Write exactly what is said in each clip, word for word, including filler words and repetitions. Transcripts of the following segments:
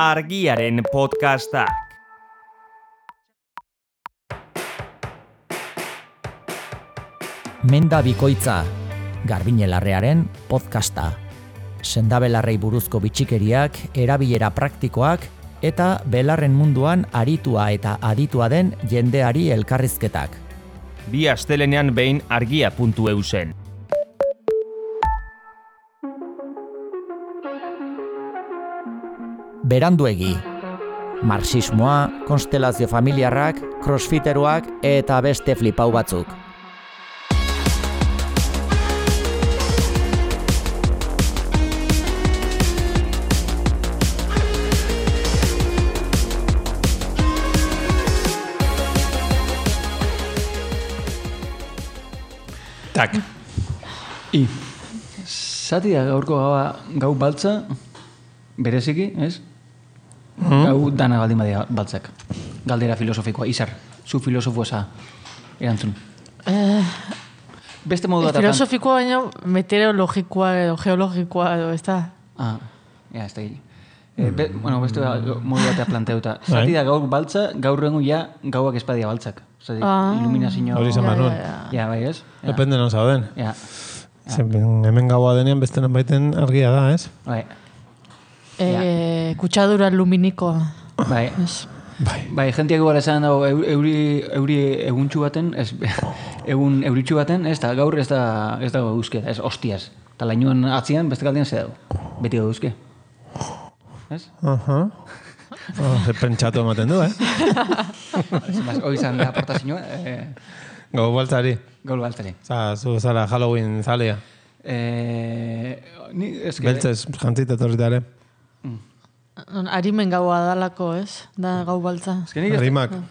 Argiaren podcastak. Menda bikoitza, Garbiñelarrearen podcasta. Sendabelarrei buruzko bitxikeriak, erabilera praktikoak eta belarren munduan aritua eta aditua den jendeari elkarrizketak. Bi astelenean behin argia puntu eu zen. Beranduegi. Marxismoa, konstelazio familiarrak, crossfiteroak eta beste flipau batzuk. Tak. I. Zati da gaurko gaua gau baltza, bereziki, ez? Mm-hmm. Gau dana baldin badia baltzak. Galdera filosofikoa, Izar, zu filosofo eza erantzun. Eh, Beste modu bat filosofikoa baina meteorologikoa edo geologikoa edo, ez da? Ah, ja, ez da gili. Eh, be, bueno, beste modu batea planteuta. Zati da gaur baltza, gaur rengu ja gauak espadia baltzak. Zati, ah, iluminazio... Hori zen manun. Ja, bai, ez? Ja. Depende non zauden. Ja. Ja. Hemen gaua denean beste non baiten argia da, ez? Bai. Eh, Ja. Kutsadura luminikoa. Bai. Ez. Bai. Bai, jentiak gara esan dago euri, euri eguntxu baten, ez, egun euritxu baten, ez da, gaur ez da, ez dago eguzke, ez, hostiaz. Eta lainuan atzian, beste kaldean ze dago. Beti dago eguzke. Ez? Aha. Oh, ze pentsatu ematen du, eh? Hoi izan da aportazioa, eh, Gau baltzari. gaur baltari. Za, zu zara Halloween zalea. Eh, ni, ez que... Beltzez, jantzit etorritare. Arimen gaua dalako, ez? Da gau baltza. Ez que nik ez, Arimak. Ari-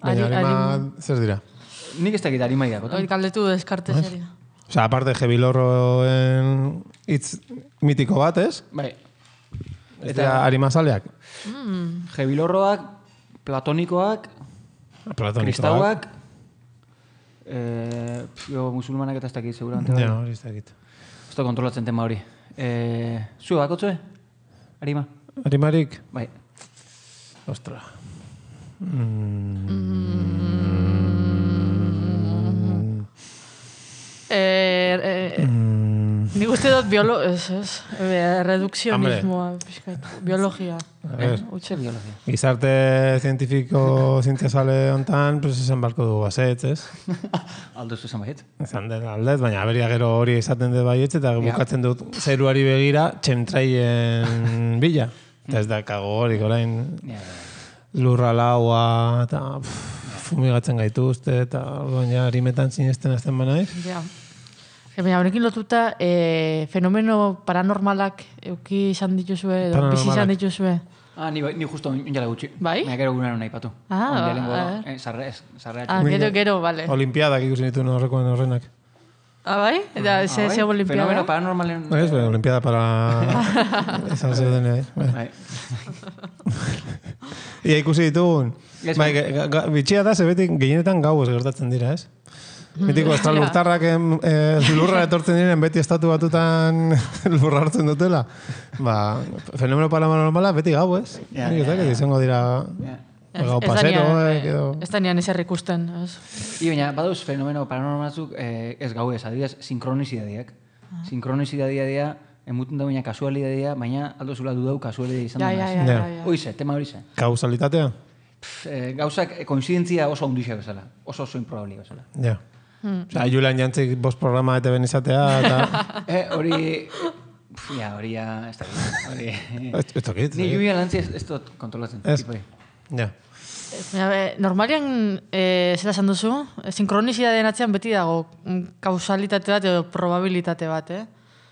Baina arima, arim- zer dira? nik ez dakit arimai dago. Hori kaldetu deskarte seria. Osa, aparte Jebilorroen hitz mitiko bat, ez? Bai. Ez dira arima zaleak. Jebilorroak, platonikoak, Platonikoak. kristauak, eh, pf, jo, musulmanak eta ez dakit, seguramente. bai. Ja, hori ez dakit. Ez da kontrolatzen tema hori. Eh, zu, bakotzue? Arima? Arimarik? Bai. Ostra. Eh, eh, Nik uste dut biolo... Ez, ez. Eh, redukzionismoa, pixkat. Biologia. A ver, Utxe biologia. gizarte zientifiko zientziazale hontan, pues esan barko du bazetz, ez? Aldo ez esan baiet. Esan den aldez, baina aberia gero hori izaten dut baietz, eta bukatzen dut zeruari begira txemtraien bila. Eta ez da kago horik orain Ja, ja, lurra laua, eta pff, fumigatzen gaituzte, eta orduan ja harimetan sinesten azten banaiz. Ja. E, baina honekin lotuta, e, fenomeno paranormalak euki izan dituzue, edo bizi izan Paranormalak. dituzue. Ah, ni, ni justo onjala gutxi. Bai? Baina gero gunean nahi patu. Ah, Ondia ba, lehengo, a ver. eh, sarre, ez, sarre Ah, gero, gero, bale. Olimpiadak ikusi nituen horrekoen horrenak. Ah, bai? Eta ze, bai? ze olimpiada? Fenomeno paranormalen... Ez, bai, olimpiada para... Esan zeuden, eh? Bai. Bai. Ia ikusi ditugun. Ez, Bai, bai. ga- ga- bitxia da, zebetik gehienetan gauez gertatzen dira, ez? Mitiko, estralurtarrak eh, lurra etortzen diren beti estatu batutan lurra hartzen dutela. Ba, fenomeno paranormala beti gau, ez? Ja, Nik ez ja, dakit, ja. izango dira Ja. gau Ez da pasero, nian, eh, edo... ez da nian ezer ikusten, ez? I baina, badauz fenomeno paranormalazuk eh, ez gau ez, adibidez, sinkronizidadiak. Sinkronizidadea dira, emuten da baina kasualidadia, baina aldo zula dudau kasualidadia izan Ja, da. ja, naiz. ja, Ja. ja, ja. Hoize, tema hori ze. Kausalitatea? Pff, eh, gauzak eh, koinzidentzia oso handixa bezala. Oso oso improbable bezala. Ja. Osa, Julian Jantzik bost programa eta ben izatea, eta... Eh, hori... Pff, ja, hori ja... Ez da, hori... Ez ez dakit. Ni Julian Lantzi ez, ez dut kontrolatzen. Ez. tipo hori. Ja. Baina, e, normalian, e, zera esan duzu, e, sinkronizitateen atzean beti dago mm, kausalitate bat edo probabilitate bat, eh?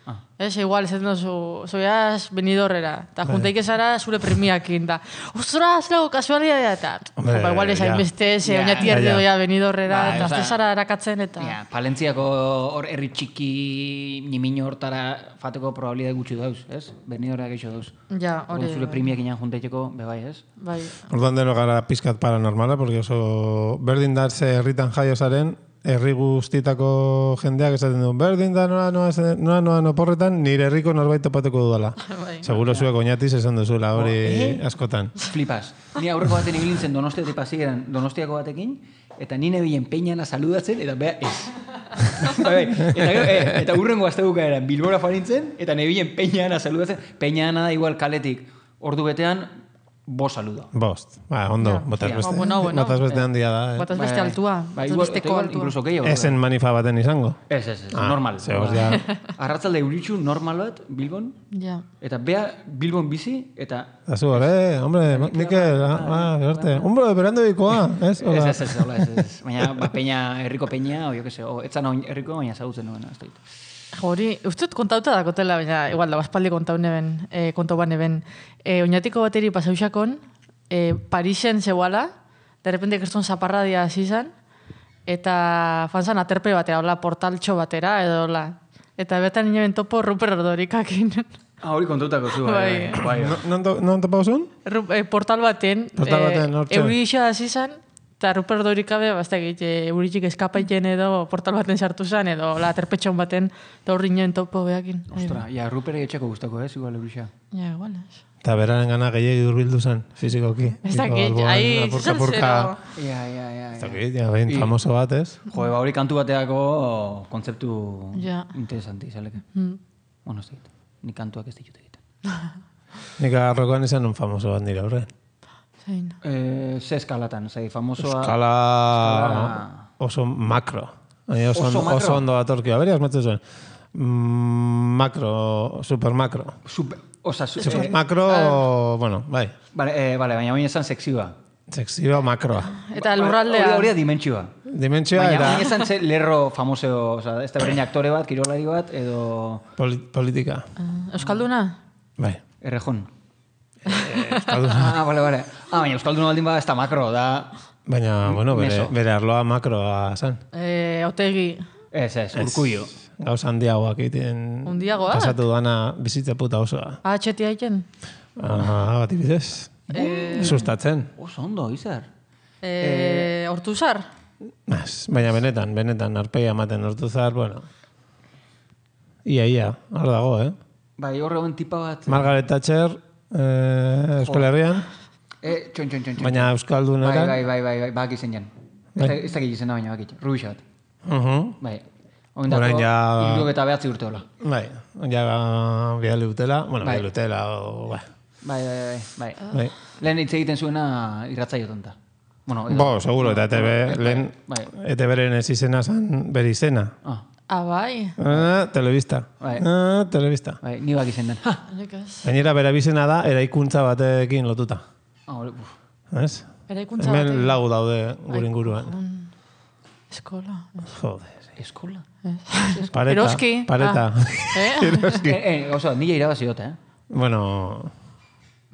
Ah. Ez, igual, ez duzu, zoiaz benidorrera, eta juntaik ezara zure premiakin, da, ostra, zelago, kasualidadea, eta, Hombre, ba, igual ez ja. hainbeste, ze Ja, oinati ja, erde ja. doia benidorrera, Bai, eta osea, ez zara erakatzen, eta... Ja, Palentziako hor herri txiki nimino hortara fateko probabilidade gutxi dauz, ez? Benidorra geixo dauz. Ja, hori... Zure primiak inan juntaiteko, bebai, ez? Bai, Orduan deno gara pizkat paranormala, porque oso berdin darze herritan jaio zaren, herri guztietako jendeak esaten du, berdin da noa noa, noa, noa oporretan, nire herriko norbait topatuko dudala. Seguro zuek oinatiz esan duzuela hori askotan. Flipas. Ni aurreko baten ibilintzen Donostiatik pasieran, Donostiako batekin, eta ni nebilen peinana saludatzen, eta bea ez. eta, e, eta urrengo astebuka eran, Bilbora farintzen, eta nebilen peinana saludatzen, peinana da igual kaletik, ordu betean, bo saluda. Bost. Ba, ondo, yeah. Botaz beste. Oh, bueno, bueno. Botaz beste handia da. Eh? Botaz beste altua. Ba, Botaz igual, besteko igual, altua. incluso gehiago. Esen manifa baten izango? Ez, ez, ez, ah, normal. Zehoz, ja. Arratzalde euritxu normal bat, Bilbon, ja. Eta bea Bilbon bizi, eta... Azu, eh, hombre, Mikel, ah, berte. Hombre, berando bikoa, ez? Ez, ez, ez, hola, ez, ez. Baina, ba, peña, herriko peña, o jo que se, o, etzan herriko, baina zagutzen nuen, ez doit. Hori, ustut kontauta da kotela, baina, igual, da, baspaldi kontau neben, eh, kontu ban neben. Eh, oinatiko bateri pasausakon, eh, Parisen zeuala, de repente kertzun zaparradia zizan, eta fanzan aterpe batera, hola, portaltxo batera, edo hola. Eta betan inoen topo Ruper Ordorikakin. Ah, hori kontautako zu, bai. bai. Non topa osun? Eh, portal baten, portal baten eh, euri iso da zizan, eta Ruper Ordorikabe, bazta egite, euritxik eskapaiten edo portal baten sartu zen, edo la aterpetxon baten, eta horri inoen topo behakin. Ostra, ja, Rupere etxeko gustako, ez, igual eurixa. Ja, igual, ez. Eta beraren gana gehiagi urbildu zen, fizikoki. Ez dakit, ahi, zizan zero. Ja, ja, ja. Ez dakit, ja, behin famoso bat, ez? Jo, ba, hori kantu bateako kontzeptu ja. interesanti, zaleke. Mm. Bueno, ez dakit, ni kantuak ez ditut egiten. Nik agarrokoan izan un famoso bat nire horren. Zein. Eh, ze eskalatan, zei, famosoa... Eskala... Eskala... Oso makro. Oso, oso makro? Oso ondo datorki. Aberi, asmatzen zuen. Mm, makro, super makro. Super... Osa, su, super eh, makro, ah, bai. bai. Vale, eh, vale, baina baina esan sekzioa. Sekzioa makroa. Eta lurraldea. Hori da dimentsioa. Dimentsioa baina, era... Baina esan ze lerro famoseo, oza, ez da berrein aktore bat, kirolari bat, edo... Poli politika. Uh, Euskalduna? Bai. Errejon. Euskalduna. Ah, vale, vale. Ah, baina Euskalduna baldin ba, ez da makro, da... Baina, bueno, bere, bere arloa makroa zen. Eh, Otegi. Ez, ez, urkullo. Gauza handiagoak egiten... Handiagoak? Pasatu dana bizitza puta osoa. Ah, txeti haiten? Ah, bat ibidez. Eh, Sustatzen. Oso ondo, izar. Eh, Hortuzar? Az, baina benetan, benetan, arpeia ematen Hortuzar, bueno. Ia, ia, hor dago, eh? Bai, horre guen tipa bat... Margaret Thatcher, eh, Euskal Herrian. Eh, txon, txon, txon, txon. Baina Euskaldun Bai, eran. bai, bai, bai, bai, bak izen jan. Ez da gizena baina bak izen, Rubixa bat. Uh -huh. Bai. Oindako, ja... Iruk eta behatzi urte hola. Bai, ja bidali utela, bueno, bai. bidali utela, o, bai. Bai, bai, bai, bai. bai. Lehen hitz egiten zuena irratzaio tonta. Bueno, Bo, seguro, eta E T B, lehen bai. E T B-ren ez izena zan bere izena. Ah. Ah, bai. Ah, telebista. Bai. Ah, telebista. Bai, ni bak izen den. Ha! Gainera, bere bizena da, eraikuntza batekin lotuta. Ah, hori, uf. Ez? Eraikuntza Hemen batekin. lau daude gure inguruan. Eskola. Jode. Eskola? Pareta. Eroski. Pareta. Ah. Eh? Eroski. Eh, eh, oso, nila irabazi dut, eh? Bueno,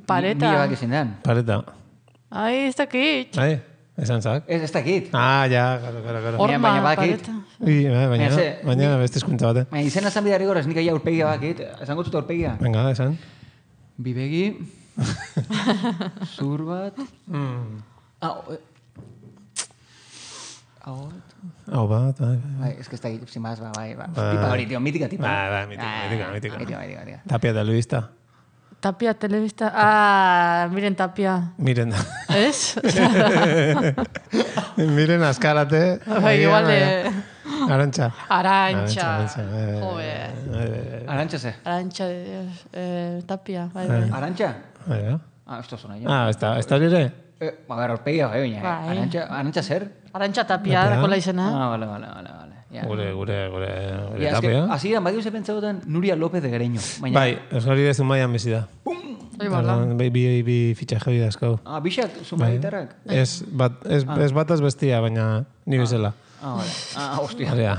Pareta. Nila bak izen den. pareta. Ai, ez dakit. Ai, esan zak. Ez, ez dakit. Ah, ja, claro, claro, claro. Baina- Horma, baina bakit. pareta. I, baina, baina, Baina ze- baina beste eskuntza bate. Baina izena esan bidari gorez, nik aia urpegia bakit. Esango zut urpegia. Venga, esan. Bibegi. Zur bat. Mm. Ah, o- eh. Hau bat. Hau bat, bai, bai. Bai, ez que ez dakit, sin más, ba, bai, ba. Bai. Tipa hori, tío, mítica tipa. Bai, bai, mítica, Ah, mítica, mítica. Mítica, mítica, mítica. Tapia telebista. Tapia, telebista. Ah, miren Tapia. Miren, Ez? miren askarate. Bai, igual de... Arantxa. Arantxa. Arantxa, eh, Jove. eh, Arantxa ze? Arantxa, de Dios. Eh, Tapia, bai, bai. Arantxa? eh, Ah, esto zona jo. Ah, ez da, ez da hori ere? Eh, a ver, urpegia, bai, baina. Bai. Arantxa, arantxa zer? Arantxa Tapia, Tapia. dakola izena. Ah, vale, vale, vale, vale. Ja. Gure, gure, gure, gure Ja, eske, tapia. hasieran badiu ze pentsatzen Nuria López de Gereño. Baina, Bai, ez hori dezu maian bizi da. Bai, bala. Bi, bi, bi fitxaje hori dazkau. Ah, bixak, zuma Bai. gitarrak? Ez, bat, ez, ez bataz bestia, baina ni bezala. Ah, vale. Ah, hostia. Hori da.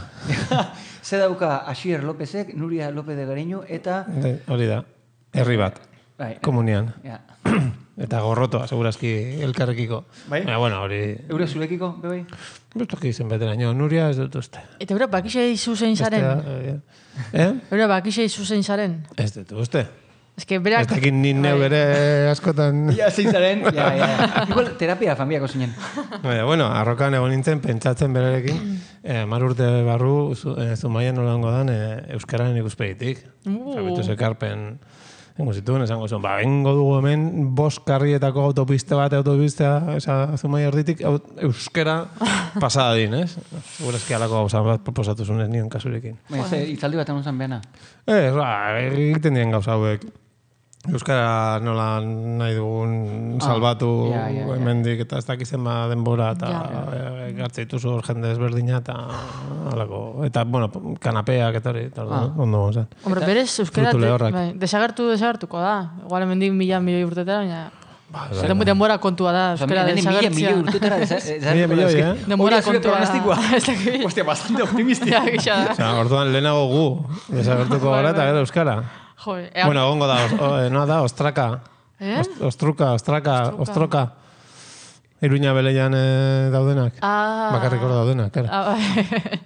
Ze dauka Asier Lópezek, Nuria López de Gereño, eta... De- Hori da. Herri bat. Bai, Komunian. ja. Eta gorrotoa, segurazki elkarrekiko. Bai? Baina, bueno, hori... Eure zurekiko, bebai? Bestoki izen beteraino. Nuria ez dut uste. Eta eura bakixe izu zein zaren? Bestea, eh? Eh? Eura bakixe izu zein zaren? Ez dut uste. Ez que berak... Ez dakit ni neu ere askotan... Ja, zeintzaren, ja, ja. Igual, terapia familiako zinen. Baina, bueno, arrokan egon nintzen, pentsatzen berarekin, eh, mar urte barru, zu, eh, Zumaian nolango dan, eh, euskararen ikuspegitik. Uh. Zabituz ekarpen, engo zituen, esango zuen, ba, bengo dugu hemen, bost karrietako autopiste bat, autopista, esa Zumaia erditik, euskara pasada din, ez? Segurazki alako gauza bat proposatu zuen ez nion kasurekin. Baina, ze, itzaldi bat egon zen behana. Ez, ba, egiten dien gauza hauek. Euskara nola nahi dugun salbatu Ah, ja, ja, ja. hemendik eta ez dakizen ba denbora eta Ja. gartzeituzu hor jende ezberdina eta halako. Eta, bueno, kanapeak eta hori, eta Ah. ondo zen. Hombre, berez, euskera Frutu lehorrak. bai, desagertu, desagertuko da. Igual hemendik mila milioi urtetara, baina... Ba, Den- denbora kontua da, euskera Mila desagertzea. urtetara Mila milioi, eh? Denbora kontua da. Ez dakit. Hostia, bastante optimistia. Ja, gisa da. Osea, orduan lehenago gu, desagertuko gara eta gero euskara. Jo, ea, Bueno, egongo da, os, o, eh, noa da, ostraka. Eh? Ost- Ostruka, ostraka, ostroka. Iruña beleian eh, daudenak. Ah. Bakarrik hor daudenak, karo. Ah, bai.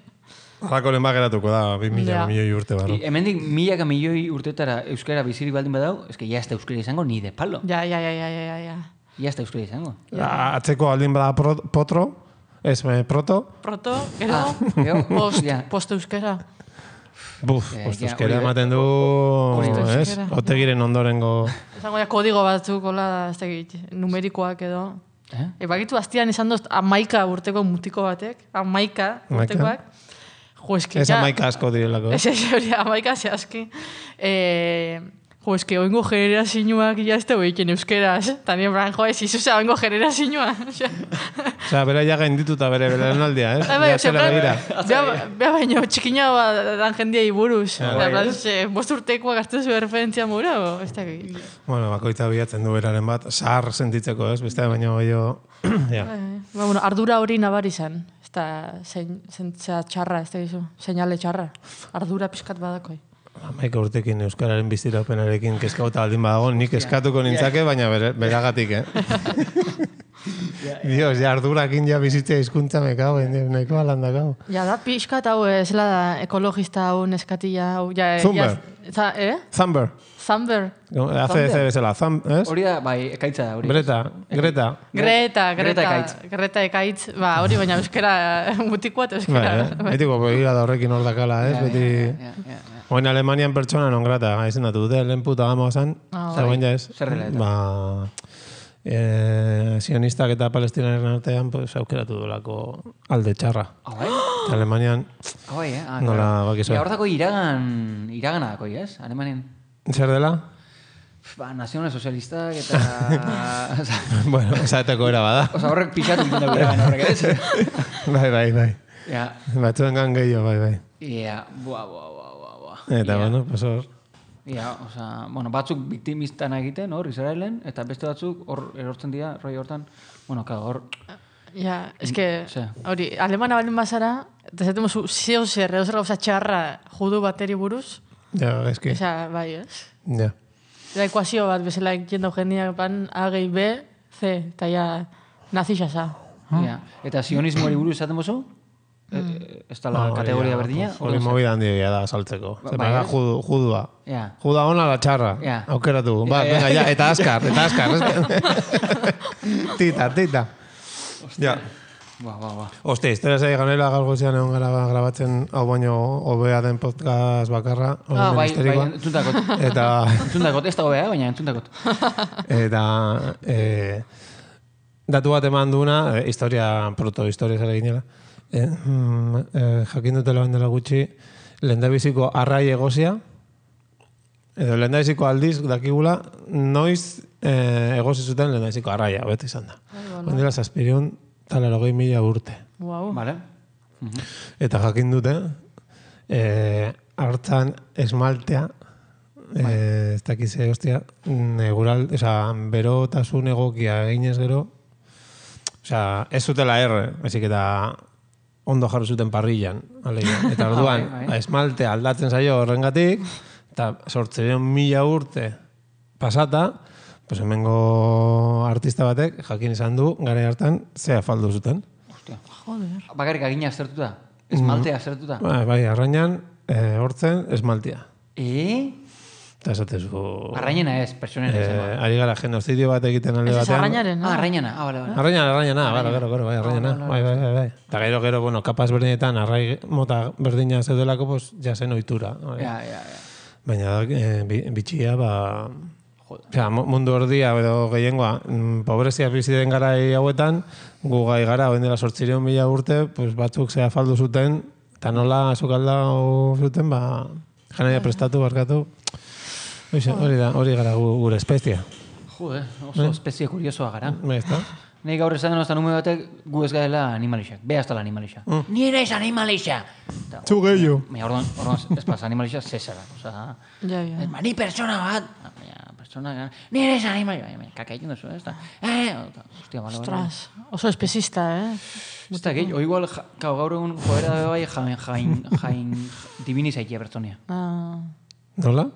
Halako lehen bageratuko da, bi mila Ja. milioi urte barru. I, hemendik milaka milioi urtetara euskara bizirik baldin badau, eske ja ez da euskara izango ni de palo. Ja, ja, ja, ja, ja, ja. Ja ez da euskara izango. Ah, Atzeko aldin bada pro, potro, ez, eh, proto, Proto, gero, Ah, gero, post, ja. post euskera. buf, Eh, pues ja, euskera hori da. ematen du, Hori da. ez, Euskera. otegiren ondorengo, Esango ja, kodigo batzuk, hola, ez dakit, numerikoak edo. Eh? E, bakitu aztian izan dozt, amaika urteko mutiko batek, amaika Amaika? urtekoak. Jo, eski, ez amaika asko direlako. Ez ez hori, amaika zehazki. E, jo, eski, oingo generazioak ja ez dugu iken euskeraz. Tani, bran, jo, ez izuza oingo generazioa. Osea, bera ja gaindituta bere belaunaldia, ez? Bai, bai, Ja zela ose, begira. Bea, bea baino, txikina bat dan jendiai buruz. Ja, Ja, bai, plan, ze, bost urtekoa gazte zu referentzia mura, o? Ez dakit. Bueno, bakoitza bilatzen du beraren bat, zahar sentitzeko, ez? Beste baino gehiago, ja. Ba, bueno, ardura hori nabari zen. Ez da, zein, zentzea txarra, ez da gizu. Seinale txarra. Ardura pizkat badakoi. Amaika urtekin euskararen bizirapenarekin kezkauta baldin badago, nik eskatuko nintzake, baina bere, beragatik, eh? Dios, ja ardurakin ja bizitzea hizkuntza me cago, en Dios, nahiko alandakau. Ja, da pixkat hau, ez da, ekologista hau, neskatila hau, ja... Zumber. Ja, za, eh? Thumber. Zamber. Hace ese bezala, Thumb, ez? Hori da, bai, ekaitza da, hori. Greta, Greta. Greta, Greta Greta, Ekaitz. Greta ekaitz. Ba, hori baina euskera mutikoa eta Bai, euskera. eh? Betiko begira da horrekin hor dakala, ez? Ja, Beti... ja, ja, ja. Oin Alemanian pertsona non grata, izendatu dute, lehen puta gamo zan, Ah, eta oin ja ez. Zer dela eta? Ba, eh, sionistak eta palestinaren artean, pues, aukeratu dolako alde txarra. Ah, bai? Eta Alemanian, Ah, bai, eh? Ah, Nola, claro. bakizu. Ja, hor dako iragan, iragana dako, ez? Alemanen. zer dela? Ba, nazional sozialistak eta... Osa, Bueno, esateko era bada. Osa, horrek pixatu egiten dugu iragan horrek, ez? Bai, bai, bai. Ja, Batzuen gan gehiago, bai, bai. ja, bua, bua, bua, bua, bua. Eta, Ja. bueno, pues hor. Ja, oza, bueno, batzuk biktimistan egiten, hor, Israelen, eta beste batzuk hor erortzen dira, roi hortan, bueno, claro, hor, Ja, eske, Ze. hori, alemana balen bazara, eta zaten zu, zeo zer, edo zer gauza txarra judu bateri buruz, Ja, eski. esa, bai, ez? Ja. Da ekuazio bat, bezala jendau jendeak pan, A gehi B, C, eta ja, nazixasa. ja. Eta sionismoari buruz esaten bozu? E, ez da la Hori kategoria da, berdina? Hori movida handia da saltzeko. Ba- Zer bai, da, ez? judu, judua. Ja. Juda ona la txarra. Ja. Aukeratu. Ba, Ja, ja. venga, ja, eta askar, eta askar. tita, tita. Ja. Ba, ba, ba. Oste, historia zei ganela gaur goizean egon gara grabatzen hau baino hobea den podcast bakarra. hori Ah, bai, bai, ministerikoa. entzuntakot. Eta, Entzuntakot, ez dago beha, baina entzuntakot. eta e, datu bat eman duena, e, historia, proto-historia zara ginela. E, mm, e, jakin dutela bandela gutxi, lehendabiziko arrai egozia, edo lehendabiziko aldiz dakigula, noiz e, egozi zuten lehendabiziko arraia, beti izan da. Bandela zazpirion, talero gehi mila urte. Wow. Vale? Eta jakin dute, e, hartzan esmaltea, e, ez dakize, hostia, negural, oza, berotasun egokia eginez gero, oza, ez zutela erre, ezik eta ondo jarri zuten parrillan, alegia. Eta orduan, Ah, bai, bai. esmaltea aldatzen zaio horrengatik, eta sortzeron mila urte pasata, pues hemengo artista batek jakin izan du, gara hartan, zea faldu zuten. Hostia. Joder. Bakarrik agina aztertuta? Esmaltea aztertuta? Bai, bai, arrainan, e, hortzen, esmaltia. E? Eta esatezu... Arrainena ez, pertsonera Eh, izan. ari gara genozidio bat egiten alde Ez ez batean. arrainaren, Ah, no? arrainena, ah, bale, bale. Arrainana, arrainana, gero, gero, gero, bai, arrainana. Bai, bai, bai, bai. Eta gero, gero, bueno, kapaz berdinetan, arrai mota berdina zeudelako, pues, ja zen ohitura. Bai. Ja, ja, ja. Baina, eh, bi- bitxia, ba... Osea, mu- mundu ordia edo gehiengoa, mm, pobrezia bizi den garai hauetan, gu gai gara, oen dela sortzireun mila urte, pues batzuk zea faldu zuten, eta nola sukaldau zuten, ba, janaia prestatu, barkatu. Hoxe, hori da, hori gara gu- gure espezia. Jode, oso espezie kuriosoa gara. Bai, ezta? Nei gaur esan den oztan ume batek, gu ez gaela animalixak. Be hasta la animalixa. Ni ere ez animalixa! Eta, Zu gehiago. Baina, orduan, orduan, ez pasa, animalixa zesara. Osa, Ja, ja. ba, ni persona bat! Baina, persona, ni ere ez animalixa. Baina, kaka egin duzu, ez da? Eh, hostia, bale, bale. Ostras, oso espezista, eh? Ez da, gehi, o igual, ja, kao, gaur egun joera da bai jain, jain, jain divinizaia pertsonia. Ah, Nola?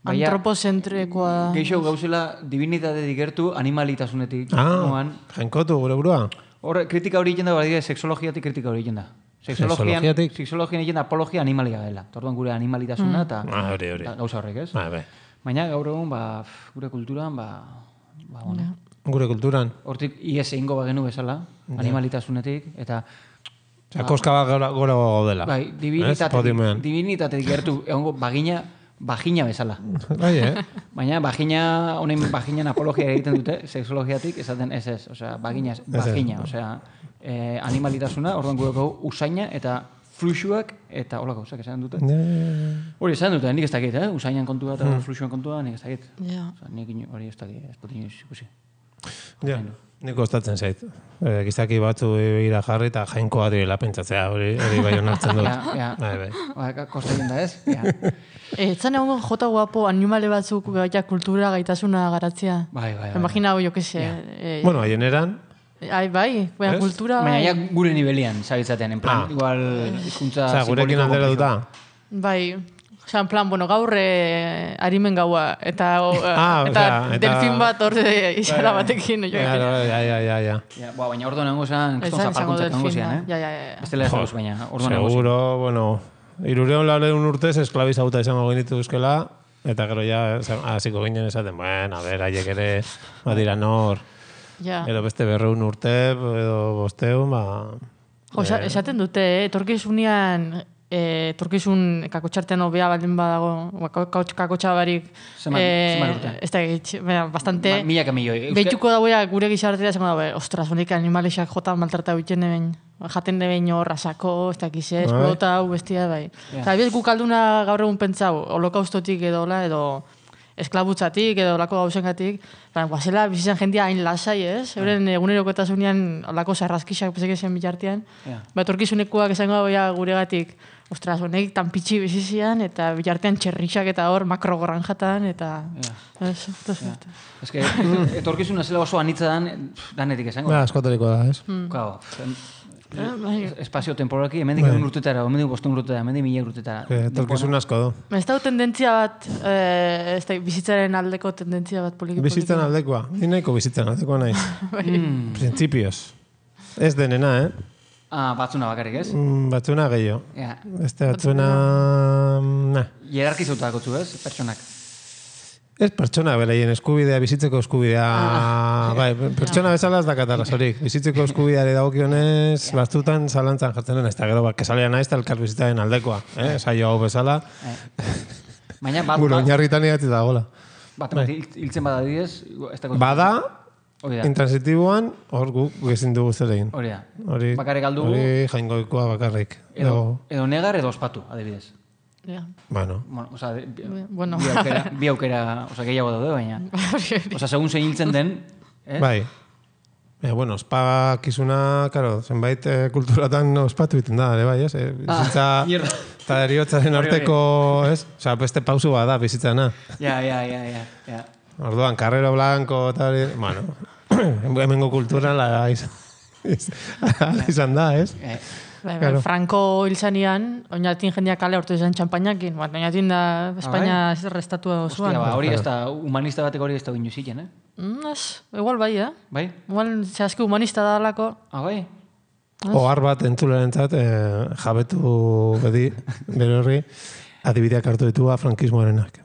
Baina- antropozentrekoa. Geixo gauzela divinitate digertu animalitasunetik. Ah, Noan. jainkotu gure burua. Hor, kritika hori egiten da, badira, sexologiatik kritika hori egiten da. Sexologian, Sexologiatik? sexologian egiten da apologia animalia dela. Orduan gure animalitasuna eta Ah, hori, hori. eta gauza horrek, ez? Bai, bai. Baina gaur egun, ba, pff, gure kulturan, ba, ba, bueno, Gure kulturan. hortik ies egingo bagenu bezala, animalitasunetik, eta Osea, koska bat gora, gora gaudela. bai, Ez? divinitate, Podiumean. divinitate digertu, egongo bagina, bagina bezala. Bai, eh? Baina bagina, honen baginan apologia egiten dute, sexologiatik, esaten ez ez, osea, bagina, bagina, osea, eh, animalitasuna, orduan gure gau usaina eta fluxuak eta hola gauzak esan dute. Hori esan dute, nik ez dakit, eh? Usainan kontua eta fluxuan kontua, nik ez dakit. Ja. Osea, nik ino- hori ez dakit, ez dut inoiz ikusi. Ja, nik kostatzen zait. E, gizaki batzu ira jarri eta jainkoa direla pentsatzea, hori, hori bai onartzen dut. Ja, ja. Bai, bai. Ba, kosta egin da ez? Ja. Eh, Etzan egon jota guapo animale batzuk ja, kultura gaitasuna garatzea. Bai, bai, bai. Imagina, jo, que se... Eh, Bueno, haien eran, ai, bai, baina Ez? kultura... Baina bai. ja gure nivelian, zabitzaten, en plan, Ah. igual, hizkuntza osea, gurekin simboliko aldera konplexua. duta. Bai, osea, en plan, bueno, gaur eh, arimen gaua, eta, o, Ah, eta osea, eta- delfin bat hor eh, izara batekin. Jo, Ja, ja, ja, ja, ja. Ja, ba, baina orduan nengo zen, kriston Esan izango zapalkuntzak nengo delfin zian, bat. eh? Ja, ja, ja. Bestela ez dauz, baina, orduan nengo zian. Seguro, bueno, irureun laureun urtez esklabizauta izango genitu euskela, eta gero ja, hasiko ginen esaten, bueno, a ber, haiek ere, badira nor, Ja. edo beste berreun urte, edo bosteun, ba... Jo, esa- esaten dute, eh, etorkizunean, eh, etorkizun kakotxartean hobea baldin badago, ba, kakotx- kakotxa barik, Zenbat- eh, zenbat urte? ez da egitxe, baina, bastante, Ma- milaka milioi. Euskal- behituko dauea gure gizartera, esango daue, ostras, honik animalexak jota maltrata egiteneben, jateneben hor, rasako, ez dakiz, ez, Bai. pelota hau, bestia, bai. Ja. Eta abiez guk alduna gaur egun pentsau, holokaustotik edo, hola, edo esklabutzatik edo olako gauzengatik, baina, guazela bizitzen jendia hain lasai, ez? Euren egunerokotasunean olako sarraskixak pesek zen bitartean, Ja. ba, etorkizunekoak esango dagoia guregatik, ostras, honek tan pitxi bizizian, eta bitartean txerrixak eta hor makrogranjatan, eta... Ja. Ez, ez, ez. Ez que, etorkizuna zela oso anitza dan, pff, danetik esango. Ba, askotariko da, ez? Claro, Eh, bai. espazio temporalki, hemendik egun urtetara, hemendik bosten urtetara, hemendik mila urtetara. Que Etorkizun asko du. Ez da tendentzia bat, eh, ez da, bizitzaren aldeko tendentzia bat poliki poliki. Bizitzen aldekoa. Ni nahiko bizitzen aldekoa naiz. Mm. Printzipioz. Ez denena, eh? Ah, batzuna bakarrik, ez? Mm, batzuna gehiago. Ja. Beste batzuna... Nah. Hierarkizautako zu, ez? Pertsonak. Ez pertsona beraien eskubidea, bizitzeko eskubidea... Bai, pertsona bezala ez dakat arrazorik. Bizitzeko eskubideari dagokionez, batzutan zalantzan jartzen den. Ez da gero, kesalia naiz, eta elkar bizitzaren aldekoa. Eh? Saio hau bezala. Baina bat, Gure bat, oinarritan idatzi da, gola. bat, bat hil- hiltzen bada didez, ez da Bada, Hori da. intransitiboan, hor guk ezin dugu zer egin. Hori da. Hori, Bakarrik aldugu. hori jaingoikoa bakarrik. Edo, edo negar edo ospatu, adibidez. Ja. Bueno, Bueno, o sea, bi, Bueno. bi aukera, bi aukera, o sea, gehiago daude, baina. O sea, segun zein hiltzen den, eh? bai. E, bueno, ospakizuna, karo, zenbait eh, kulturatan ospatu egiten da, ere bai, ez? E, bizitza Ah, mierda. eta eriotzaren Hori, hori. arteko, ez? Osa, beste pausu bat da bizitzana. Ja, ja, ja, ja, ja. Orduan, Carrero Blanco eta hori, bueno, hemengo kultura la izan, ala izan da, ez? Eh, Bai, bai, Claro. Franco hilzanean, oinatin jendeak kale hortu izan txampainakin, bat, oinatin da Espainia ez restatua hostia, osoan. ba, hori ez da, humanista batek hori ez da gindu ziken, eh? Mm, ez, igual bai, eh? Bai? Igual, zehazki humanista da alako. Ah, bai? Ohar bat entzulerentzat, eh, jabetu bedi, bere horri, adibideak hartu ditua frankismoarenak.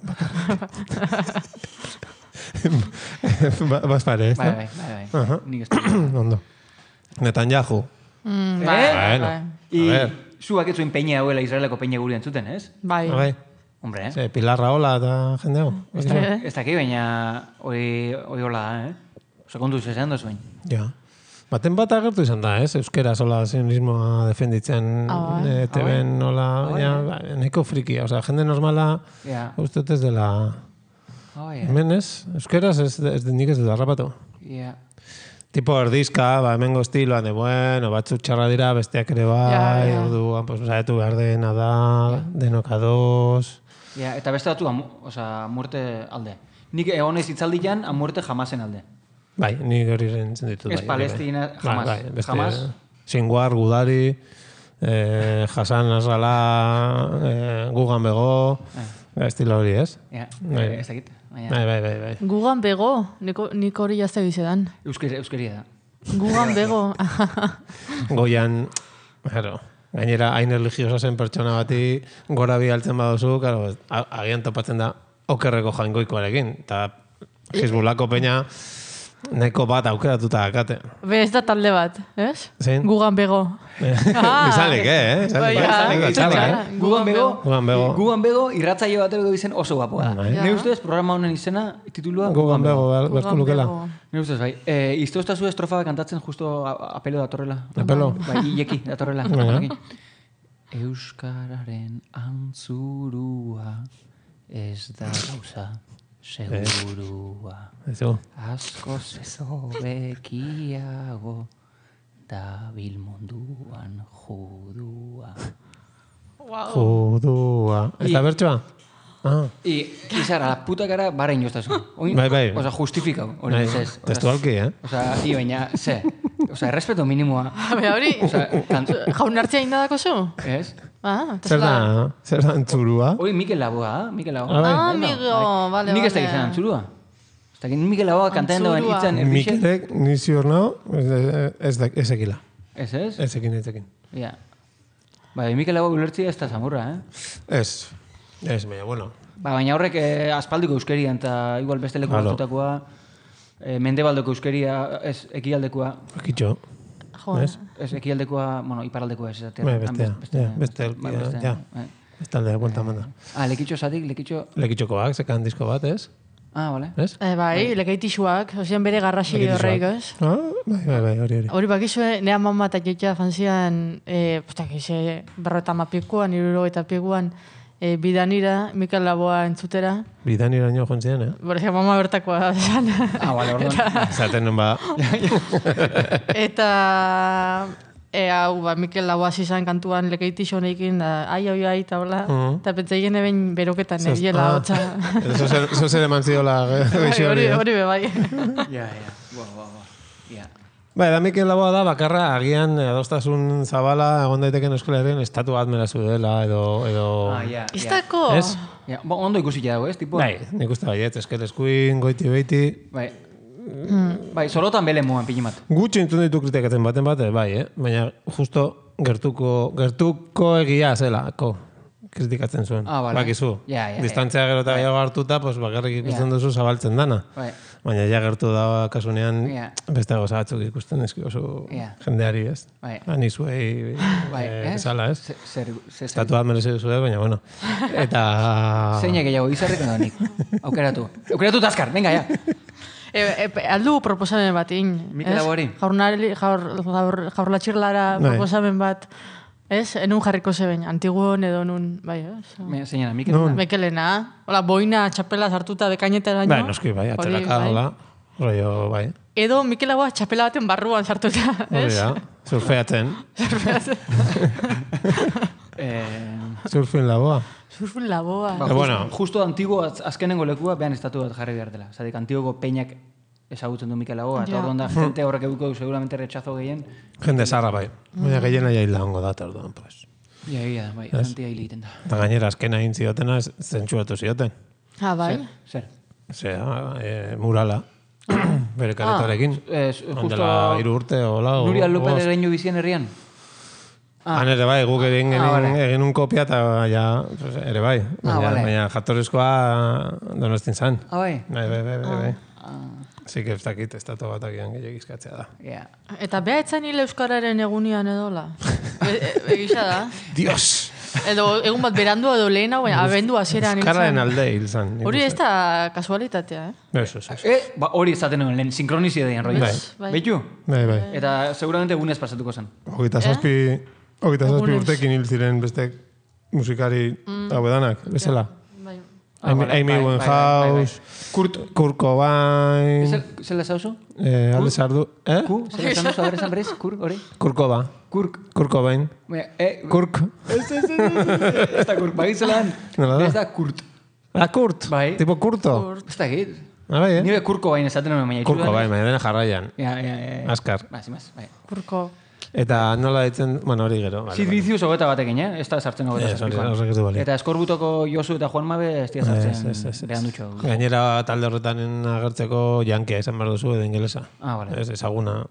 Bas pare, ez Bai, da? bai, bai, bai. Nik ez dut. Ondo. Netanyahu. Mm, Eh? bai, Bueno. bai. I, A ver. zuak ez zuen peña hauela Israeleko peña guri entzuten, ez? Bai. Bai. Hombre, eh? Ze, Pilar Raola eta jende hau. Eh? Ez daki, baina hori hori hola da, eh? Osa, kontu zezean da zuen. Ja. Baten bat agertu izan da, ez? Euskera sola zionismoa defenditzen Ah, bai. e, T V-en nola, bai. ja, ba, nahiko frikia. Osea, jende normala, Ja. uste dut ez dela... Oh, ja. Hemen ez, euskeraz ez, ez, nik ez dut harrapatu. Ja. Tipo erdizka, ba, hemengo estiloan, de bueno, batzuk txarra dira, besteak ere bai, Ja, ja. orduan, pues, saietu behar dena da, denok ados... Ja, eta beste batu, amu, osa, muerte alde. Nik egon ez itzaldian, a muerte jamasen alde. Bai, nik hori zentzen ditut. Ez bai, Palestina, bai, jamás. Bai, beste, Jamás. Singuar, Gudari, eh, Hassan Nasrallah, eh, Gugan Bego, estilo hori, ez? Ja, Bai. ez dakit. Baina, Bai, bai, bai, bai. Gugan bego, niko, nik hori jazte gizedan. Euskeri, euskeria da. Gugan bego. Goian, claro, gainera hain religiosa zen pertsona bati gora bialtzen baduzu, claro, a- agian topatzen da okerreko jaingoikoarekin, eta Hezbolako peña nahiko bat aukeratuta akate. Be, ez da talde bat, ez? Zein? Gugan bego. Ah. Izalik, eh? Izalik, Bai, eh? ja. Izalik da txarra, Txarra. eh? Gugan bego, Gugan bego. Gugan bego, irratzaio bat edo izen oso guapoa da. Bai. Ne ustez, programa honen izena, titulua Gugan bego, Gugan berko lukela. bego. Ne ustez, bai. E, izte oztazu estrofa kantatzen justo a- apelo datorrela. Apelo? Bai, ileki datorrela. Baina. Euskararen antzurua ez da gauza segurua. Ezu. Askoz ez hobekiago da bilmunduan judua. Judua. Ez da I- bertsoa? Ah, I, izara, la puta cara, bara inostazu. Oin, Bai, bai. Osa, justifikau. Hori bai, ez. Osa, testualki, eh? Osa, i, baina, ze. Osa, errespeto minimoa. Be, hori, Osa, kan, jaun hartzea indadako zu? ez? Ah, eta Zer zela- da, zer da antzurua? Hori Mikel Laboa, ah? Mikel Laboa. Ah, bai. Ah, Bai, bai. amigo, vale, Nik ez da vale. izan antzurua. Ez da, Mikel Laboa kantaen duen Antzurua. hitzan erdixe. Mikelek, ni ziur nao, ez, ez, da- ez ekila. Ez ez? Ez ekin, ez ekin. Ja. Bai, Mikel Laboa ulertzia ez da zamurra, eh? Ez, ez, baina, bueno. Ba, baina horrek eh, aspaldiko euskerian, eta igual beste leku Alo. batutakoa, eh, mendebaldeko euskeria, ez, ekialdekoa, Akitxo. Jo, Ez? ez, ekialdekoa, bueno, iparaldekoa ez, esatea. Bai, Han bestea, beste, ja, beste, bai, ja, beste, ja. bai. Ez talde, buelta manda. Ah, lekitxo zatik, lekitxo... Lekitxokoak, zekan disko bat, ez? Ah, vale. Ez? Eh, bai, lekeitixuak, ozean bere garrasi horreik, ez? Ah, bai, bai, bai, hori, hori. Hori bakizue, nea mama eta joitea fanzian, eh, postak ize, berrota mapikuan, iruro eta pikuan, eh, bidanira, Mikel Laboa entzutera. Bidan iraino joan ziren, eh? Borezia, mama bertakoa esan. Ah, vale, orduan. Zaten nun ba, Eta... E, hau, ba, Mikel Laboa zizan kantuan lekeitixo honekin, da, ai, ai, ai, eta hola. Mhm. Eta pentsaien eben beroketan, Zaz- ebiela, ah. hotza. Zo zer eman ziola Bai, geixo hori, hori. hori be, bai. Ja, ja. Boa, boa, boa. Ja. Bai, da Mikel Laboa da, bakarra, agian adostasun zabala, egon daiteken euskalaren estatu bat merazu dela, edo... edo... Ah, ja. Ez ja. dako? Ez? Ja, bo, ondo ikusi dago, ez? Tipo, Bai, nik uste baiet, eskel eskuin, goiti beiti... Bai. Bai, solotan bele moan pinimat. Gutxi entzun ditu kritikatzen baten bate, bai, eh? Baina justo gertuko, gertuko egia zelako kritikatzen zuen. Ah, bale. Bakizu. Ja, ja, Distantzia gero eta gehiago hartuta, pues, bakarrik ikusten Ja. duzu zabaltzen dana. Bai. Baina ja gertu da kasunean Ja. beste gauza batzuk ikusten eski oso Ja. jendeari, ez? Bai. Ani zuei Bai, eh, eh? zala, ez? Zer, zer, zer, Estatu bat merezi duzue, baina bueno. Eta... Zeinak gehiago, izarrik edo nik. Aukeratu. Aukeratu taskar, venga, ja. E, e, aldu proposamen bat, in. Mikel ez? Laboari? Jaurnari, jaur, jaur, jaurlatxirlara Bai. proposamen bat, ez? Enun jarriko zeben, antiguon edo nun, bai, ez? Me, Zeinana, Mikel? Non? Mekelena, hola, boina, txapela sartuta bekainetara baino. Bai, noski, bai, Hori, atxeraka, bai. hola. Rollo, bai. Edo Mikel Laboa txapela baten barruan sartuta, Hori ez? da, surfeatzen. Eh, Surfin laboa. Surfun Laboa. ba, Eh, justo, bueno. justo antigo az- azkenengo lekua, behan estatu bat jarri behar dela. Zatik, antigoko peñak ezagutzen du Mikel Laboa, eta Ja. orduan da, gente horrek eduko seguramente rechazo gehien. Jende zarra bai. Baina gehiena jaila hongo da, orduan, pues. Ja, ja, bai, jantia hil egiten da. Eta gainera azkena egin ziotena zentsuratu zioten. Ah, bai. Zer? Osea, e, murala. Bere karetarekin. Eh, justo Ondela hiru urte, hola. o- Nuria López bost. de Leño bizien herrian? Han ere bai, guk egin, Ah, egin, vale. egin un kopia eta ja, pues, ere bai. Baina, vale. baina jatorrizkoa Donostin zan. Ah, bai? Bai, bai, bai, bai. bai. Así que ez dakit, estatu bat agian gehiagik izkatzea da. Yeah. Eta beha etzan hil euskararen egunian edola. E- e- Egisa da. Dios! Edo egun bat berandua edo lehena, baina abendu hasieran Euskararen hiltzen. alde hil zan. nik Hori ez uste. da kasualitatea, eh? Ez, ez, ez. Eh, ba, hori izaten nuen, lehen sinkronizideen rollo. Bai. Bai. Beitu? Bai, bai. Eta seguramente egunez pasatuko zen. Hogeita zazpi, hogeita zazpi Egunez. urtekin hil ziren beste musikari hauedanak, bezala. Bai. Ah, Amy, vale, Amy bai, bai, Winehouse, Kurt, Kurt Cobain, zer, zer lezauzu? eh, Alde Sardu, eh? Ku? Zer lezauzu, haber esan berez? Kur, hori? Kurt Coba, Kurk. Kurt Cobain, Baina, eh, Kurk. Ez, ez, ez, ez, ez da Kurk, bagitzelan. Nola da? Ez da Kurt. Ah, Kurt, Bai. tipo Kurto. Ez da git. Ah, bai, eh? Nire Kurko baina esaten nuen, baina Kurt Cobain, baina dena jarraian. Ja, ja, ja. Azkar. Ba, zimaz, bai. Kurko. Eta nola ditzen, bueno, hori gero. Vale, Sid Vicious hogeta batekin, eh? Ez da sartzen hogeta Ez, hori- zazpikoan. horrek ez du balio. Eta Eskorbutoko Josu eta Juan Mabe ez dira Ez, sartzen ez, ez, ez. behan dutxo. Gainera talde horretan agertzeko jankia izan behar duzu edo ingelesa. Ah, vale. Ez, ezaguna.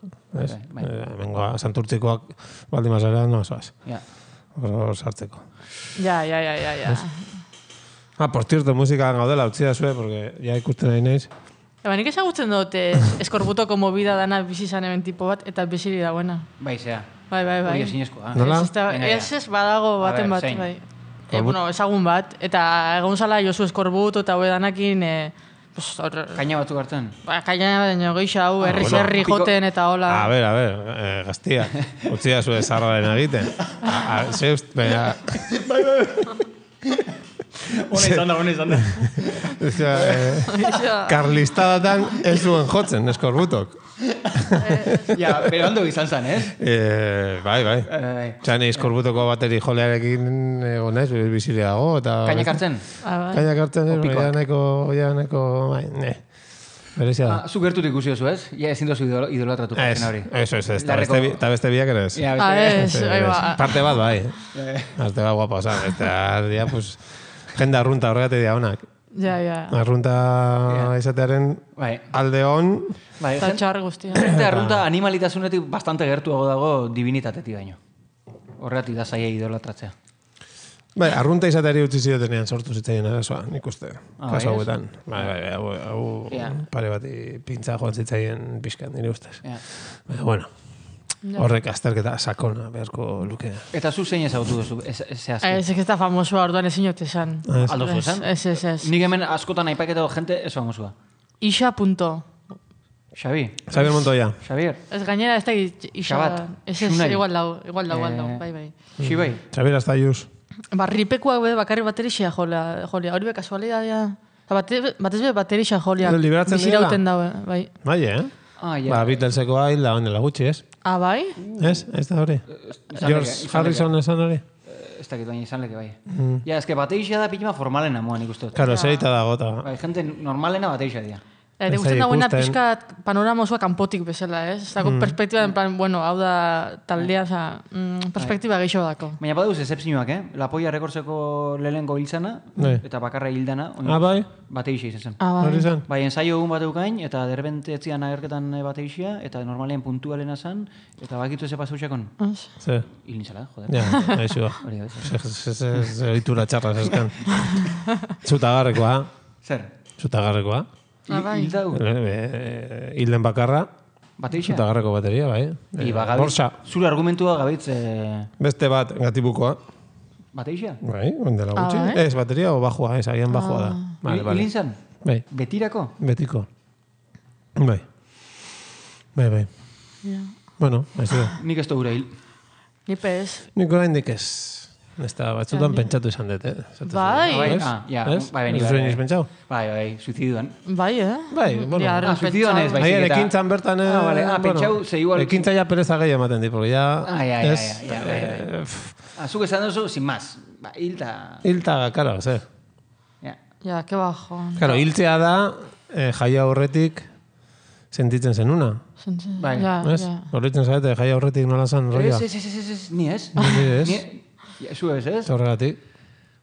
Ez? Bai, bai. Eh, Hemengoa, santurtzikoak baldin mazera, no, zoaz. Ja. Hor sartzeko. Ja, ja, ja, ja, ja. Ah, por cierto, musika gaudela, utzi da zue, porque ja ikusten nahi naiz. Eba, nik ezagutzen dut eh, eskorbutoko movida dana bizi zan hemen tipo bat, eta biziri dagoena. Bai, zea. Bai, bai, bai. Hori ezinezkoa. Nola? Ez, ez, da- Venga, ja. ez, ez badago A baten ber, bat, zein? bai. E, bueno, ezagun bat, eta egon zala Josu Eskorbuto eta hue danakin, e, pues, hor, Kaina batzuk hartzen. ba, kaina baina geisha hau, herri bueno. herri Piko- joten eta hola. A ber, a ber, eh, gaztia, utzi da zue zarraren egiten. A, a, ze ust, baina... Hone izan da, hone izan da. Osea, eh, Geisha- karlistadatan ez zuen jotzen, eskorbutok. Ja, pero ondo izan zen, ez? Eh, bai, bai. Eh, Txan eskorbutoko bateri jolearekin egon naiz, biziliago, eta... Kainak hartzen? Ah, bai. Kainak hartzen, ez, Opikoak. ja neko, ja neko, bai, ne. Berezia da. Ah, zu gertut ikusi oso, ez? Ja, ezin dozu idolo- idolatratu Ez, pertsona hori. eso, ez, ez, eta Larreko- beste, bi- eta beste biak ere ez. Ja, Ah, beste- ez, Beste- bai, ez. ba. Parte bat, bai. Parte bat guapa, oza, beste, dia, pues, jende arrunta horregatik dia honak. Ja, ja. Arrunta izatearen Bai. alde hon, Bai, Eta jen- txar guztia. Jende arrunta animalitasunetik bastante gertuago dago divinitatetik baino. Horregatik da zaila idolatratzea. bai, arrunta izateari utzi ziotenean sortu zitzaien arazoa, nik uste. Ah, Kasu bai, ez? hauetan. Bai, bai, bai, hau, hau Ja. pare bati pintza joan zitzaien pixkan, nire ustez. Ja. Baina, bueno, horrek azterketa sakona beharko luke. Eta zu zein ezagutu duzu, ez, ez zehazki? Ez, ez da famosoa orduan ezin jote esan. Ez. Aldo zu esan? Ez, ez, ez. Nik hemen askotan aipaketa jente ez famosua. Isa punto. Xabi, Xabier Montoya. Xabier, Ez gainera ez da isa... Xabat, Ez, ez, Xunai. igual dau, igual dau, igual dau, Eh, bai, bai. Xibai, Xabier Astayuz. Ba, ripekuak be bakarri baterixia jolia, jolia. Hori be kasualidadea. Bate, batez be baterixa jolia. Liberatzen direla? Bizirauten daue, bai. Bai, eh? ah, ja. Ba, Beatlesekoa hil da honela gutxi, ez? Ah, bai? Ez? Ez da hori? izan George leke, izan Harrison esan hori? Ez dakit baina izan leke bai. Ja, eske bateixia da pitima formalena moan ikusten. Karo, zeita dago, eta... Bai, gente normalena bateixia dira. Eta Ez gusten zai dagoena ikusten. pixka panorama osoa kanpotik bezala, ez? Ez dago perspektiba, en plan, bueno, hau da taldea, oza, mm, perspektiba gehiago dako. Baina badauz excepzioak, eh? La Polla rekortzeko lehenengo hiltzana, Bai. eta bakarra hildana, Ah, bai? bateixia izan zen. Ah, bai. Hori zen? Bai, ensaio egun bat eukain, eta derbente etzian agerketan bateixia, eta normalean puntualena zan, eta bakitu ze pasautxakon. Ez. Ze? Hil nintzala, joder. Ja, aixua. Hori da, Ze oitura txarra zeskan. Zutagarrekoa, Zer? zutagarrekoa. Ah, bai. Hil dau? Eh, Hilden bakarra, Bateixia? zutagarreko bateria, bai. I Eh, bagabitz, Borsa, zure argumentua gabitz eh, beste bat gatibukoa. bateixia? Bai, ondela Ah, gutxi. bai? Ez, bateria o bajua, ez, agian bajua da. Vale, Hil vale. nintzen? Bai, Betirako? betiko. Bai. Bai, bai. Ja. Bueno, aizu. Nik ez gure hil. Nipe ez. Nik oraindik ez. Ez da, batzutan pentsatu izan dut, eh? Esaten Bai. zuen, ez? Ah, ja, Ez? bai, bai, Ez bai, zuen bai. iniz pentsau? Bai, bai, suiziduan. Bai, eh? Bai, bueno. Ja, Ah, suiziduan ez, bai. Ahian, eta- ekintzan bertan... eh, Ah, vale. Ah, pentsau, ze igual- Ekintza ja pereza gehi ematen di, porque ja... Ah, ja, ja, ez, ja, ja, bai, bai. eh, pff, Ah, zuk esan duzu, sin más. Ba, hilta... Hilta, karo, ze. Ja. Ja, que bajo. Karo, hiltzea da, eh, jaia horretik sentitzen zenuna. Bai. Ja, Ez? ja. Horritzen zaite, jaia horretik nola zan roia. Ez, ez, ez, ez, ez, ni ez. Ni ez. Ni- Ja, zu ez, ez? Horregatik.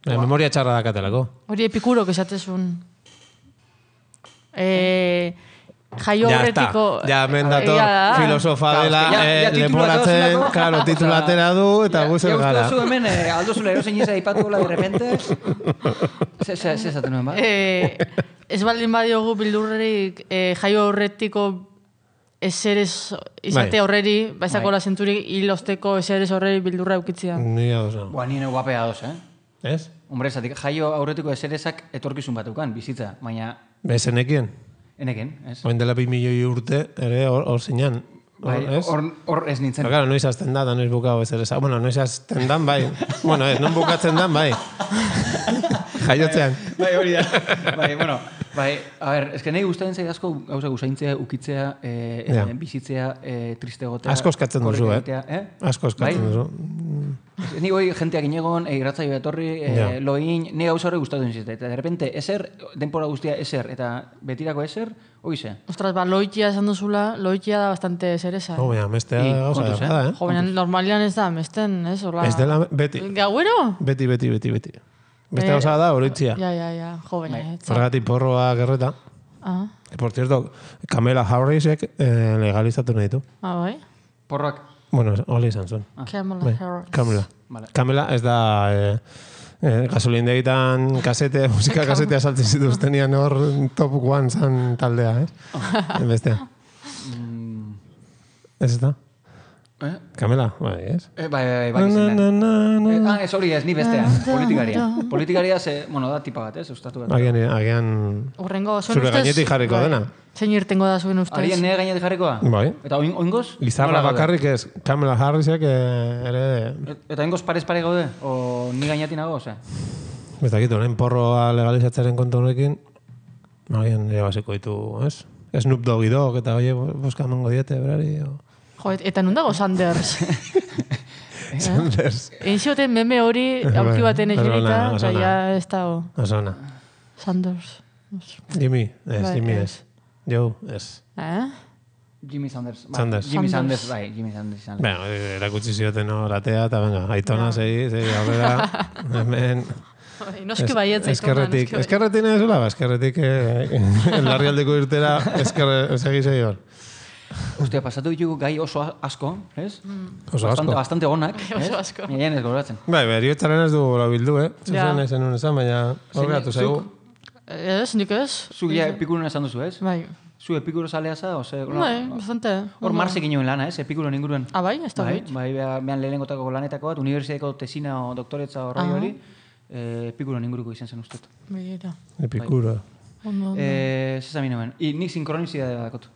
Eh, memoria txarra dakatelako. Hori epikurok esatezun. E, jaio Ya horretiko... está. Ja, mendator Ja, filosofa Claro, dela, es que ya- eh, ya titulua leporatzen, dauzulako. claro, titulatera du, eta Ja, guzer ja gara. uste duzu hemen, eh, Aldo Zula erosen izan aipatu gola de repente. Ze, ze, ze esaten nuen, ba? Eh, ez baldin badiogu bildurrerik eh, jaio horretiko eserez izate Bai. horreri, baizako Bai. la zenturik hilosteko eserez horreri bildurra eukitzia. Ni hau zen. Boa, nire guapea doz, eh? Ez? Hombre, zatik, jaio aurretiko eserezak etorkizun batukan, bizitza, baina Bezenekien. eneken, ez? Oin dela bi milioi urte, ere hor, hor zinan. Bai, ez? hor, hor ez nintzen. Pero claro, noiz azten da, da noiz bukau ezer eza. Bueno, noiz azten dan, bai. Bueno, ez, non bukatzen dan, bai. Jaiotzean. Bai, hori da. Bai, bueno, bai, a ver, eske nahi gustatzen zait asko gauza gusaintzea, ukitzea, eh, Ja. eh, bizitzea, eh, triste egotea. Asko eskatzen duzu, korrika eh? egitea, eh? Asko eskatzen Bai? duzu. Ni hoi jenteak inegon, e, irratzaio etorri, e, Ja. loin, ni gauza horre gustatu nintzen. Eta de repente eser, denpora guztia eser, eta betirako eser, oize. Ostras, ba, loitia esan duzula, loitia da bastante zereza. Oh, baina, mestea I, gauza kontuz, da, da, eh? Jo, baina normalian ez da, mesten, ez? Hola. Ez dela, beti. Gauero? Beti, beti, beti, beti. Beste Eh, gauza da, horitzia. Ja, ja, ja, jo, baina. Bai. ez da. Horregatik porroa gerreta. Ah, E, por cierto, Kamela Harrisek eh, legalizatu nahi du. ah, bai? Porroak, Bueno, hori izan zuen. Kamala Bai, Harris. Kamela. Vale. Kamela ez da eh, eh, gasolindegitan kasete, musika kasetea saltzen zituztenian hor top one zan taldea, ez? Bestea. Ez da? eh? Kamela, bai, ez? Eh, bai, bai, bai, Na, izen na, da. na, na. Eh, ah, ez hori ez, ni bestea, politikaria. Politikaria, ze, bueno, da tipa bat, ez, ustatu bat. Agian, agian Urrengo, zuen zure ustez... gainetik jarriko bai. dena. Zein irtengo da zuen ustez? Arien nire gainetik jarrikoa? Bai. Eta oin, oingoz? Izarra Nola gaude? bakarrik ez, Kamela Harrisek eh, ere... Et- Eta oingoz parez pare gaude? O ni gainetik nago, ose? Ez dakit, orain porroa legalizatzearen kontu honekin, agian ere basiko ditu, ez? Snoop Doggy Dogg eta oie, boska emango diete, berari, o... Jo, et- eta nun dago Sanders? Sanders. Egin zioten meme hori aurki baten Bai, eserita, oso ona, eta oso ja ona. ez dago. Oso ona. Sanders. Jimmy, ez, Bai, Jimmy ez. ez. Joe, ez. Eh? Jimmy Sanders. Bai, Sanders. Jimmy Sanders. Sanders, bai, Jimmy Sanders izan. Bueno, erakutsi zioten hor atea, eta venga, aitona, segi, segi, aurrera, hemen... Bai, Noski baietz, aitona, eskerretik, noski baietz. eskerretik nahi zula, ba, eskerretik eh, larrialdeko irtera, eskerre, segi, segi hor. Ostia, pasatu ditugu gai oso asko, ez? Oso Bastante, asko. bastante onak, ez? Oso asko. Nien ez goratzen. Bai, beriotzaren ez du gora bildu, eh? Ja. Zuzen ez zenun esan, baina horreatu zaigu. Ez, nik ez? Zuk ja epikuruen esan duzu, ez? Bai. Zu epikuro zalea za, ose... Bai, bastante. Hor Marsek inoen lana, ez? Epikuroen inguruan. Ah, bai, ez da Bai, bit. bai, bea- behan lehenengotako lanetako bat, unibertsitateko tesina o doktoretza horroi Aha. hori, eh, epikuroen inguruko izan zen ustut. Begira. Epikuro. Ondo, ondo. Eh, Zezami nomen. I nik sinkronizidadea dakot.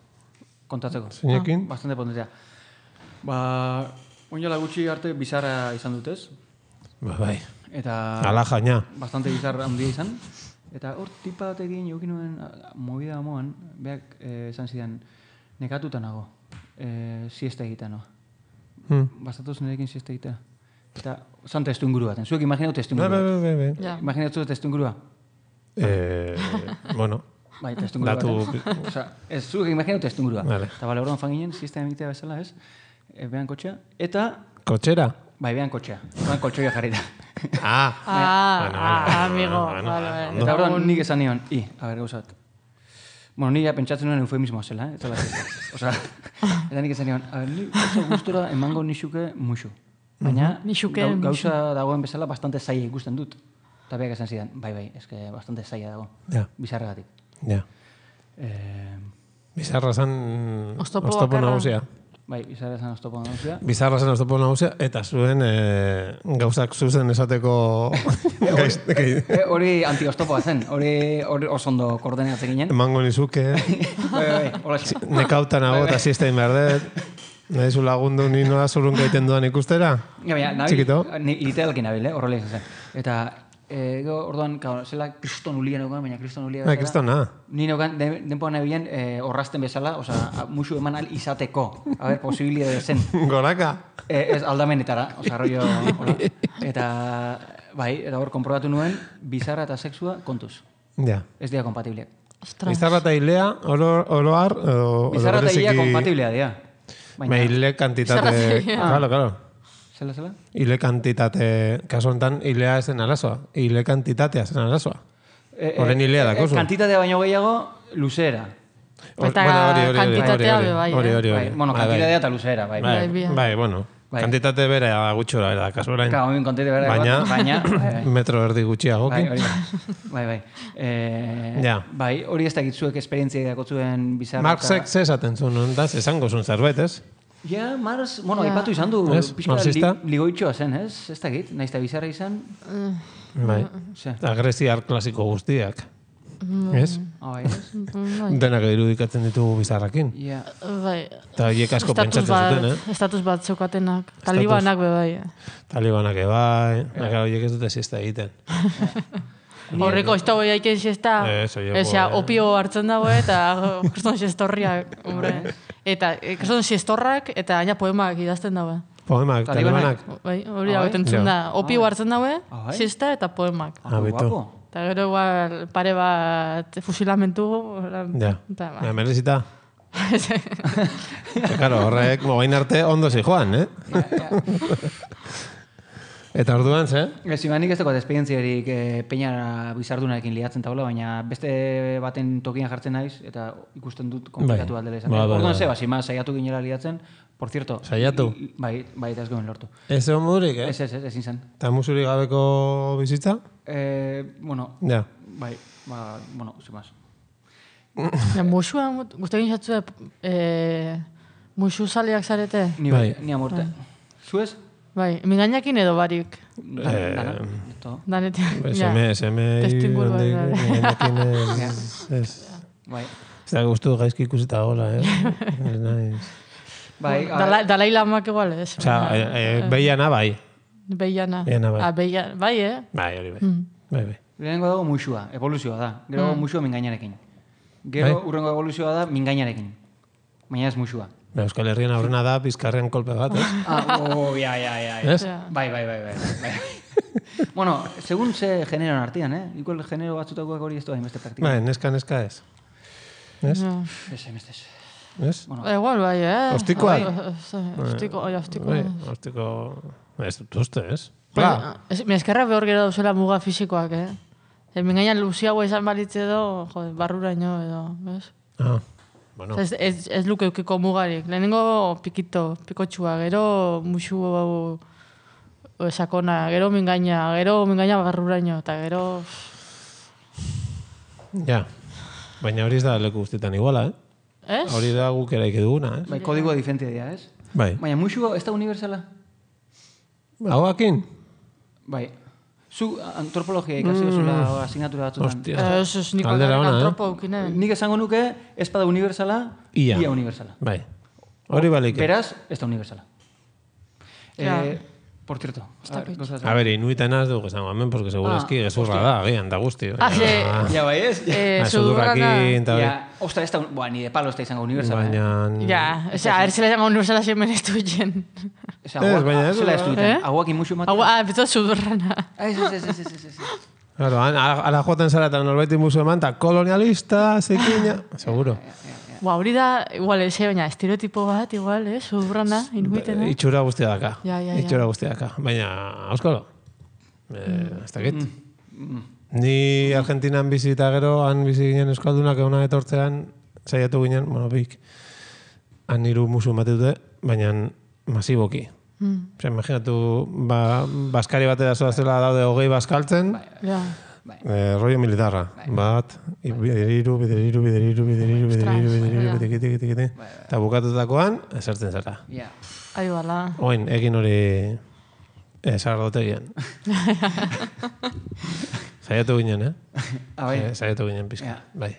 Kontatzeko. Zeinekin? Bastante potentea. Ba, oinala gutxi arte bizarra izan dutez. Ba, bai. Eta... Ala jaina. Bastante bizarra handia izan. Eta hor tipa batekin jokin nuen a- movida moan, beak eh, esan zidan, nekatuta nago, eh, siesta egitea no. Hmm. Bastatuz nirekin siesta egitea. Eta, zan testu inguru baten. Zuek imaginatu testu Bai, inguru bai, bat. bai, bai. Ja. Imaginatu testu ingurua. Eh, bueno, Bai, testu inguru Datu- baten. Osa, ez zuek imaginatu testu ingurua. Vale. Eta bale, orduan fan ginen, siesta egitea bezala, ez? E, behan kotxea. Eta, kotxera. bai, behan kotxea. Orduan koltsoia jarrita. Ah, Ah, Bueno, ah, vale, amigo. bueno, Vale, bueno, vale. Eta orduan nik esan nion, i, a ber, gauzat. Bueno, ni ja pentsatzen nuen eufemismoa zela, eh? Eta Osa, eta nik esan nion, a ber, ni oso gustora emango nixuke muxu. Baina, Nixuke gau- muxu. gauza dagoen bezala bastante zaila ikusten dut. Eta beak esan zidan, bai, bai, eske bastante zaila dago. ja, Bizarregatik. ja. Eh, Bizarra zen Oztopo oztopo bakarra. nagusia. bai, bizarra esan oztopo nagusia. Bizarra zen oztopo nagusia, eta zuen eh, gauzak zuzen esateko gaiz, gai- Eh, hori anti-oztopoa zen, hori hori oso ondo koordenatzen ginen. emango nizuke, Bai, bai, hola nekautan nago eta siesta behar dut. Nahi zu lagundu ni nola zurrun gaiten dudan ikustera? Ja, baina, nabil, Txikito. ni, literalki nabil, eh? Horrela izan zen. Eta, e, orduan, claro, zela kriston ulia neukan, baina kriston ulia Bai, bezala. kristona. Ni neukan, de, denpoan nabilen, e, orrasten bezala, osea, musu eman al izateko. A ber, posibilidade zen. Goraka. E, ez aldamenetara, osea, rollo, hola. Eta, bai, eta hor, konprobatu nuen, bizarra eta sexua kontuz. Ja. Ez dira kompatibliak. Ostras. Bizarra eta hilea, oro, oroar, edo, Bizarra eta ia bereziki- kompatiblea dira. Baina hile kantitate... Bizarra eta hilea. Claro, claro. Zela, zela? Hile kantitate, kasu honetan, hilea esen arazoa. Hile kantitatea zen arazoa. E, e, Horren hilea e, dakozu. Kantitatea baino gehiago, luzera. Eta Bueno, hori, hori, hori, kantitatea hori, be bai, hori, eh? hori, Bai, hori. bueno, Bai, bai. kantitatea eta luzera, bai. Bai, Bai, bai. bai, bueno. Bai. Kantitate bere gutxora da, kasu orain. Ka, oin kontate bera, Baina, baina, bai, metro erdi bai, gutxiagokin. hori da. bai, bai. Eh, Ja. Bai, hori ez dakit zuek esperientzia dakotzuen bizarra. Marxek ze esaten zuen, ondaz, esango zuen zerbait, ez? Ja, Marx, bueno, Ja. aipatu izan du, Ez, pixka li, marxista? ligoitxoa zen, ez? Ez dakit, nahiz eta bizarra izan. Bai. Ze, Agresiar klasiko guztiak. Ez? ah, bai, ez? Denak irudikatzen ditugu bizarrakin. Ja, Bai. Eta hiek asko Estatus pentsatzen bat, zuten, eh? estatus bat zeukatenak. Talibanak be bai. Talibanak ebai, yeah. Horiek ez dute siesta egiten. Horreko, ez dago jaiken siesta. Ez, oieko, Osea, eh. opio hartzen dago eta kriston siestorriak, hombre. Eta eh, kriston siestorrak eta aina poemak idazten dago. Poemak, Talibanak. talibanak. Bai, hori Ah, hau bai? entzun da. Opio hartzen dago, Ah, bai? siesta eta poemak. ah, Abitu. guapo. Eta gero igual pare bat fusilamentu. Ja, Eta, ba. ja merezita. Claro, horrek mogain arte ondo zi joan, eh? Eta orduan, ze? Ez, imanik ez dagoat esperientziarik eh, peñara bizardunarekin liatzen taula, baina beste baten tokian jartzen naiz, eta ikusten dut komplikatu Bai. bat dela izan. Ba, ba, Orduan ba. ze, basi, ma, saiatu ginela liatzen, por cierto. Saiatu? i- i- Bai, bai, eta ez goen lortu. Ez egon modurik, eh? Ez, ez, ez, ezin zen. Eta musurik gabeko bizitza? Eh, bueno, Ja. bai, ba, bueno, sin más. Ja, musua, guztekin jatzu, eh, musu zaleak zarete? Ni Bai. bai, ni amorte. Zuez? Bai, mingainakin edo barik. Dan, Eh, dana, esto. Danetik, Bai, ja. Seme, seme, Testinguru bai, bai. Nenekin ez, ez. Bai. Ez da guztu gaizki ikusita gola, eh? Ez naiz. Bai, a- Dala, Dalai Lamak igual, ez? Osa, e, e, behiana bai. Beiana. Beiana, bai. Ah, Beiana, bai, eh? Bai, hori bai. Mm. Bai, bai. lehenengo dago muxua, evoluzioa da. Gero Mm. muxua mingainarekin. Gero Bai. urrengo evoluzioa da mingainarekin. Baina ez muxua. Ba, Euskal Herrian aurrena da bizkarrean kolpe bat, ez? Ah, oh, ja, ja, ja. ja. Ez? Ja. Bai, bai, bai, bai. bai. bueno, segun ze generoan artean, eh? Igual genero batzutakoak hori ez du hainbeste praktika. Bai, neska, neska ez. Ez? Ja. Ez, hainbeste ez. Ez? Bueno, Eh, Igual, bai, eh? Ostikoa? Bai, Ostiko, oi, ostiko. Bai, hortiko... Ez dut uste, ez? Bai, Ba, ez- mi eskerra behor gero dauzela muga fisikoak, eh? E, mingainan luziagoa izan balitze edo, jode, barruraino edo, bez? ah, bueno. Ez, ez, ez luke eukiko mugarik. Lehenengo pikito, pikotxua, gero musu hau o, sakona, gero mingaina, gero mingaina barruraino, eta gero... Ja. Baina hori ez da leku guztietan iguala, eh? Ez? Hori da guk eraiki duguna, eh? bai, kodigoa diferentia dira, ez? Bai. Baina muxua ez da universala? Hauakin? Bai. Zu antropologia ikasi duzula asignatura batzutan. Hostia. Eh, Ez, ez, niko Aldera ona, eh? antropo eukinen. Nik esango nuke ez bada universala, Ia. ia universala. Bai. Hori balik. Beraz, ez da universala. Ja. Eh, por cierto. a ver, gauza A ver, inuitan az dugu esango hemen, porque seguro Ah, eski gezurra da, agian, da guzti. Ah, ze- Ja, bai, ez? Eh, Ah, sudurrana... sudurrakin, eta hori. Ja, ostra, ez da, boa, ni de palo ez da izango universala. Eh? Baina... Ja, osea, erzela llama universala zemen ez duien. Esa, Ez, aguak, baina ez zela da. ez duten. Eh? Aguak inmuxu ematen. Hau, ah, beto sudurrana. Ah, ez, ez, ez, ez, ez, ez, ez. Claro, han- ala ala joaten zara eta norbait inbuzu eman, eta kolonialista, zekina... Seguro. Ba, hori da, igual, ez, baina estereotipo bat, igual, eh, sudurrana, inuitena. Itxura guztia daka. Ja, ja, ja. Itxura guztia daka. Baina, auskalo. Eh, ez dakit. Mm. Ni Argentinan bizi eta gero, han bizi ginen euskaldunak euna etortzean, saiatu ginen, bueno, bik, han hiru musu ematen dute, baina masiboki. Mm. Osea, imaginatu, ba, baskari batera zoazela daude hogei baskaltzen, Ja. eh, rollo militarra. Bat, i- bideriru, bideriru, bideriru, bideriru, bideriru, bideriru, ja. bitiki, tiki, tiki, tiki. Eta bukatutakoan, esertzen zara. Ja. Ai, bala. Oin, egin hori esarrotegian. Saiatu ginen, eh? Ah, bai. Eh, Saiatu ginen pizka. Ja. Bai.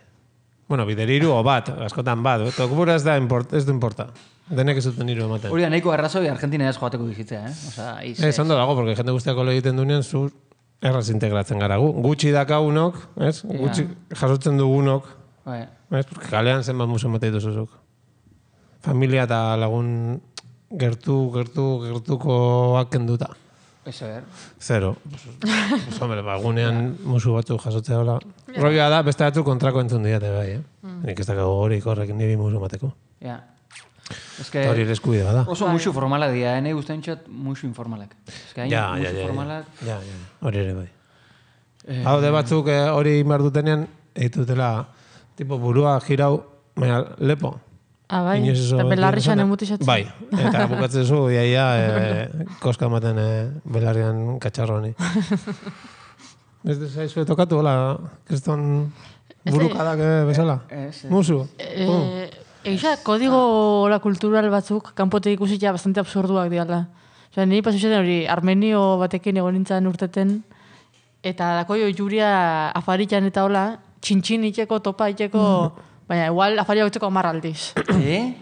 Bueno, bideriru o bat, askotan bat. Tokubura ez da import, ez du importa. Denek ez duten hiru ematen. Hori da nahiko arrazoi Argentina ez joateko bizitzea, eh? Osa, iz, Ez, ondo dago, porque jende guztiako lo egiten dunean, zu erraz integratzen gara gu. Gutxi dakagunok, ez? Gutxi jasotzen dugunok, Bai. ez? Porque kalean zenbat musu ematen dituzuzuk. Familia eta lagun gertu, gertu, gertukoak kenduta. Ez ber. Zero. Pues, hombre, ba, gunean musu batzu jasotzea hola. Roia da, beste batzu kontrako entzun diate bai, eh? Nik ez dakago horik horrek niri musu mateko. Ja. Ez que... Eta hori ere eskubide bada. Oso musu formalak dira, eh? Nahi guztain txat musu informalak. Ez que hain Ja, ja, musu ja, ja. formalak... Ja, ja, ja. Hori ere bai. Hau de batzuk eh, hori inbar dutenean, egitutela, tipo burua jirau, baina lepo. Ah, bai, Inoiz eso- eta belarrixan emutizatzen. Bai, eta bukatzen zu, iaia, e, koska ematen e, belarrian katxarroni. Ez zaizu tokatu, hola, kriston burukadak eh, bezala? Ez, ez. Musu? Eh, Egia, kodigo la kultural batzuk, kanpote ikusita bastante absurduak diala. Osea, niri pasu zaten hori, armenio batekin egon nintzen urteten, eta dako jo juria afaritan eta hola, txintxin itxeko, topa itxeko, baina igual afaria gotzeko amar aldiz. Eh?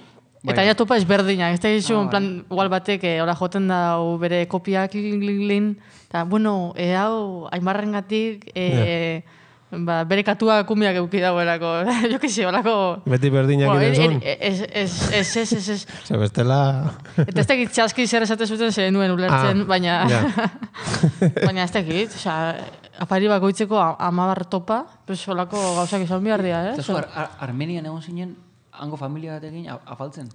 Eta ja topa ezberdinak, ez da gizu, en plan, igual batek, eh, hola joten da hau bere kopiak, lin, lin, lin, eta, bueno, e hau, aimarrengatik, eh, ba, bere katua kumiak euki dagoelako, jo que se, holako... Beti berdinak Bueno, iren zuen? Ez, ez, ez, ez, ez, ez. Zer, bestela... Eta ez tekit txaski zer esate zuten zer nuen ulertzen, Ah, baina... ja. baina ez tekit, osea, afari bakoitzeko a- amabar topa, pues holako gauzak izan behar dira, eh? Eta zu, ar ar Armenian egon zinen, hango familia batekin a- afaltzen.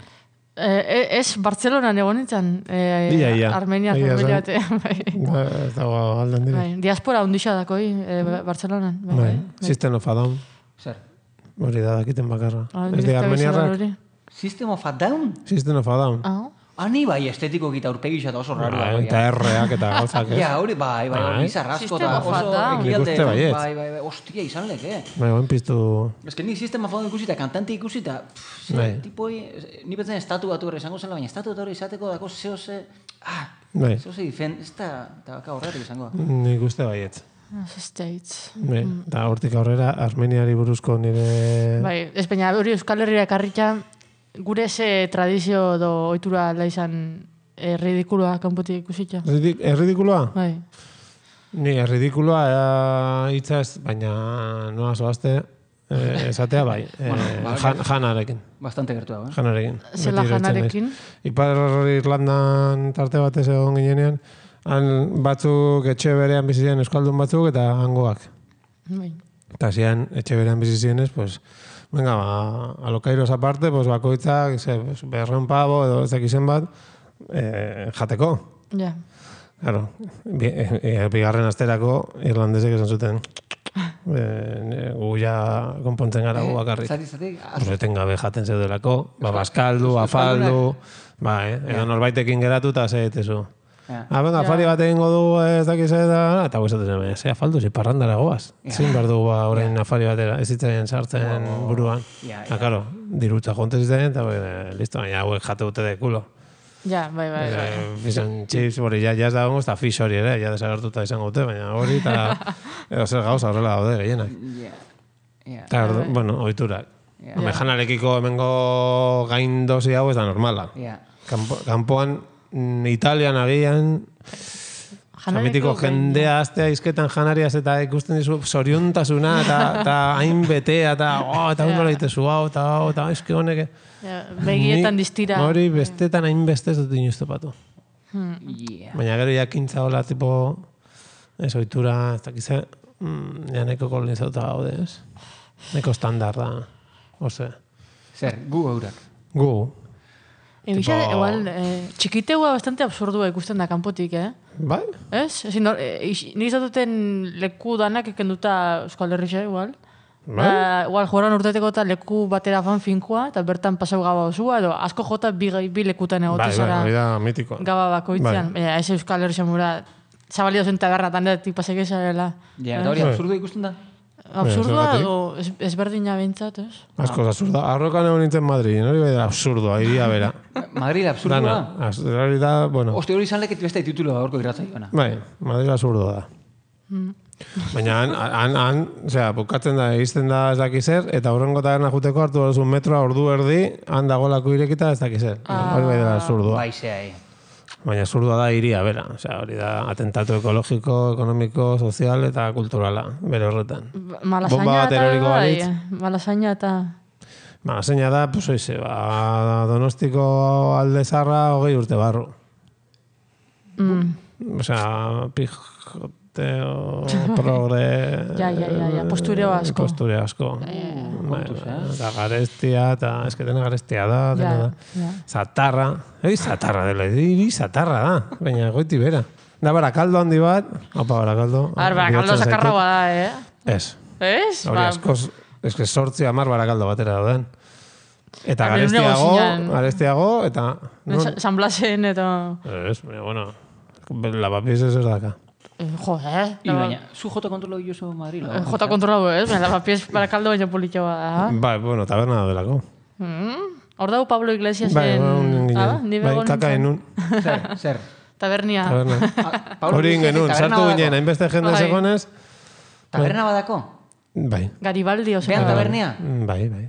Eh, ez, Bartzelonan egon nintzen, eh, Ia, ia. Armenia Ia, familia zen. bate, bai. Ba, ez dago alden dire. Bai, diaspora hundixa dakoi, eh, Bartzelonan. Bai, Bai, bai. System of a Down, Zer? hori da dakiten bakarra. Ah, Ez de direkta armeniarrak, bizarra hori. System of a Down? System of a Down. Ah, Ani bai estetiko gita urpegisa eta oso raro. Bai, eta erreak eta gauzak, ez? Ja, hori bai, bai, Bai. bai, bizarrasko System eta of a oso Down. ekialde. Nik uste baietz. Bai, bai, bai, ostia izan leke. Bai, guen piztu... Ez que ni sistema fondo ikusi eta kantante ikusi eta pff, ze, Bai. tipoi, ni betzen estatu batu horre izango zela, baina estatu batu horre izateko dako zeo ze, ah, Bai, zeo ze difen, ez da, eta baka horretik izango. nik uste baietz. States. Bai, eta hortik aurrera Armeniari buruzko nire... Bai, ez baina hori Euskal Herria ekarrita, gure ze tradizio do ohitura da izan eh, ridikuloa kanpotik ikusita. Erridik- Erridikuloa? Bai. Ni erridikuloa eh, hitza ez, baina noa zoazte, eh, esatea bai, eh, ba, jan, janarekin. Bastante gertu dago, eh? Janarekin. Zela Beti iruditzen janarekin? naiz. Ipar Irlandan tarte batez egon ginenean, han batzuk etxe berean bizi ziren euskaldun batzuk eta hangoak. Bai. Eta zian etxe berean bizi zirenez, pues, venga, ba, alokairoz aparte, pues, bakoitzak, ze, pues, berreun pavo edo ez dakizen bat, eh, jateko. Ja. Claro, bi, e, e, bigarren asterako irlandesek esan zuten e, gu ja konpontzen gara gu bakarrik. Zati, zati, Pues etengabe jaten zeudelako, ba, baskaldu, afaldu, ba, eh, edo norbaitekin geratu eta ze etezu. Ja. Ah, venga, afari bat egingo du ez dakiz eta, eta guizatzen zen, ze afaldu, ze parrandara goaz. Zin behar du ba, orain afari batera, ez zitzen sartzen buruan. Ja, Ah, claro, dirutza jonte zitzen, eta bueno, listo, baina hauek jate dute de culo. Ja, bai, bai, bai. Eh, Fish and chips, hori, ja, ja ez dago, eta fish hori ere, ja desagertuta izango dute, baina hori, eta edo zer gauza horrela daude gehienak. Ja, ja. Eta, ordu- bueno, ohiturak. Ja. Hombre, janarekiko hemengo gain dosi hau ez da normala. Ja. Kanpo, kanpoan, mm, Italian agian, Jamitiko jendea astea izketan janariaz eta ikusten dizu zoriontasuna eta, eta hain betea eta oh, eta ondo egitezu hau eta hau eta eske honek. Ja, begietan Ni distira. Hori bestetan hain beste ez dut inoiz topatu. Ja. Baina gero jakintza hola tipo ez ohitura, ez dakize, mm, ja neko kolonizatuta gaude, ez? Neko standar da, ose. Zer, gu eurak. Gu, Egia, Tipo- igual, eh, txikiteua bastante absurdua ikusten da kanpotik, eh? bai? Ez? Ezin, no, eh, ix- nik izatuten leku danak ekenduta Euskal Herrixe, igual. Bai? Ba, igual, joran urteteko eta leku batera fan finkoa, eta bertan pasau gaba osua, edo asko jota bi, bi lekutan egote Bai, bai, zara hori da mitikoa. gaba bakoitzean. Bai. Baina, ez Euskal Herrixe mura, zabalio zen tabernatan da, tipa segezarela. Ja, eta hori absurdo ikusten da. Absurdua, zergatik? edo ez, ezberdina behintzat, ez? Asko absurda. Arrokan egon nintzen Madrid, hori bai da absurdoa, iria bera. Madrid absurdoa. Dana, az- hori da, bueno, Oste hori izan leket beste titulo gaurko irratzaioana. bai, Madrid absurdoa da. Baina han, han, han, osea, bukatzen da, egizten da ez daki zer, eta horrengo taberna juteko hartu duzu metroa ordu erdi, han dagoelako irekita ez daki zer. Hori bai dela absurdoa. Bai, zea, eh. Baina absurdoa da iria, bera. Osea, hori da atentatu ekologiko, ekonomiko, sozial eta kulturala, bere horretan. Bomba Malasaina bat eta eroriko bai, balitz. malasaina eta... Ba, zeina da, pues oize, ba, Donostiko alde zarra hogei urte barru. Mm. Osea, pijoteo, progre... Ja, ja, ja, ja, postureo asko. Postureo asko. Bai, eta garestia, eta ez que dena garestia da, dena Ja, da. ja. Zatarra, ei, zatarra dela, iri zatarra da, baina goiti bera. Da, barakaldo handi bat, opa, barakaldo. Ar, barakaldo bihurtzen zakarra zaitut. bada, eh? Ez, Ez? hori Ba, askoz, ez que sortzi amar barakaldo batera dauden. Eta Hemen garestiago, negozian. garestiago, eta... Sa- San Blasen eta... Ez, baina, bueno, lavapiés ez ez daka. Eh, Jo, eh? I baina, zu jota kontrolo jozu Madrid. Eh, Jota kontrolau, ez? Baina lavapiés barakaldo baina politxoa da. Bai, bueno, taberna delako. Mm. Hor dago Pablo Iglesiasen... Bai, bai, Ah, ni bai, begon kaka nintzen. enun. Zer, zer. Tabernia. Taberna. Pablo Hori Iglesias ingenun, taberna sartu badako. ginen, hainbeste jende Bai. segonez. Taberna badako? Bai, Garibaldi oso. Behan tabernia? bai, bai.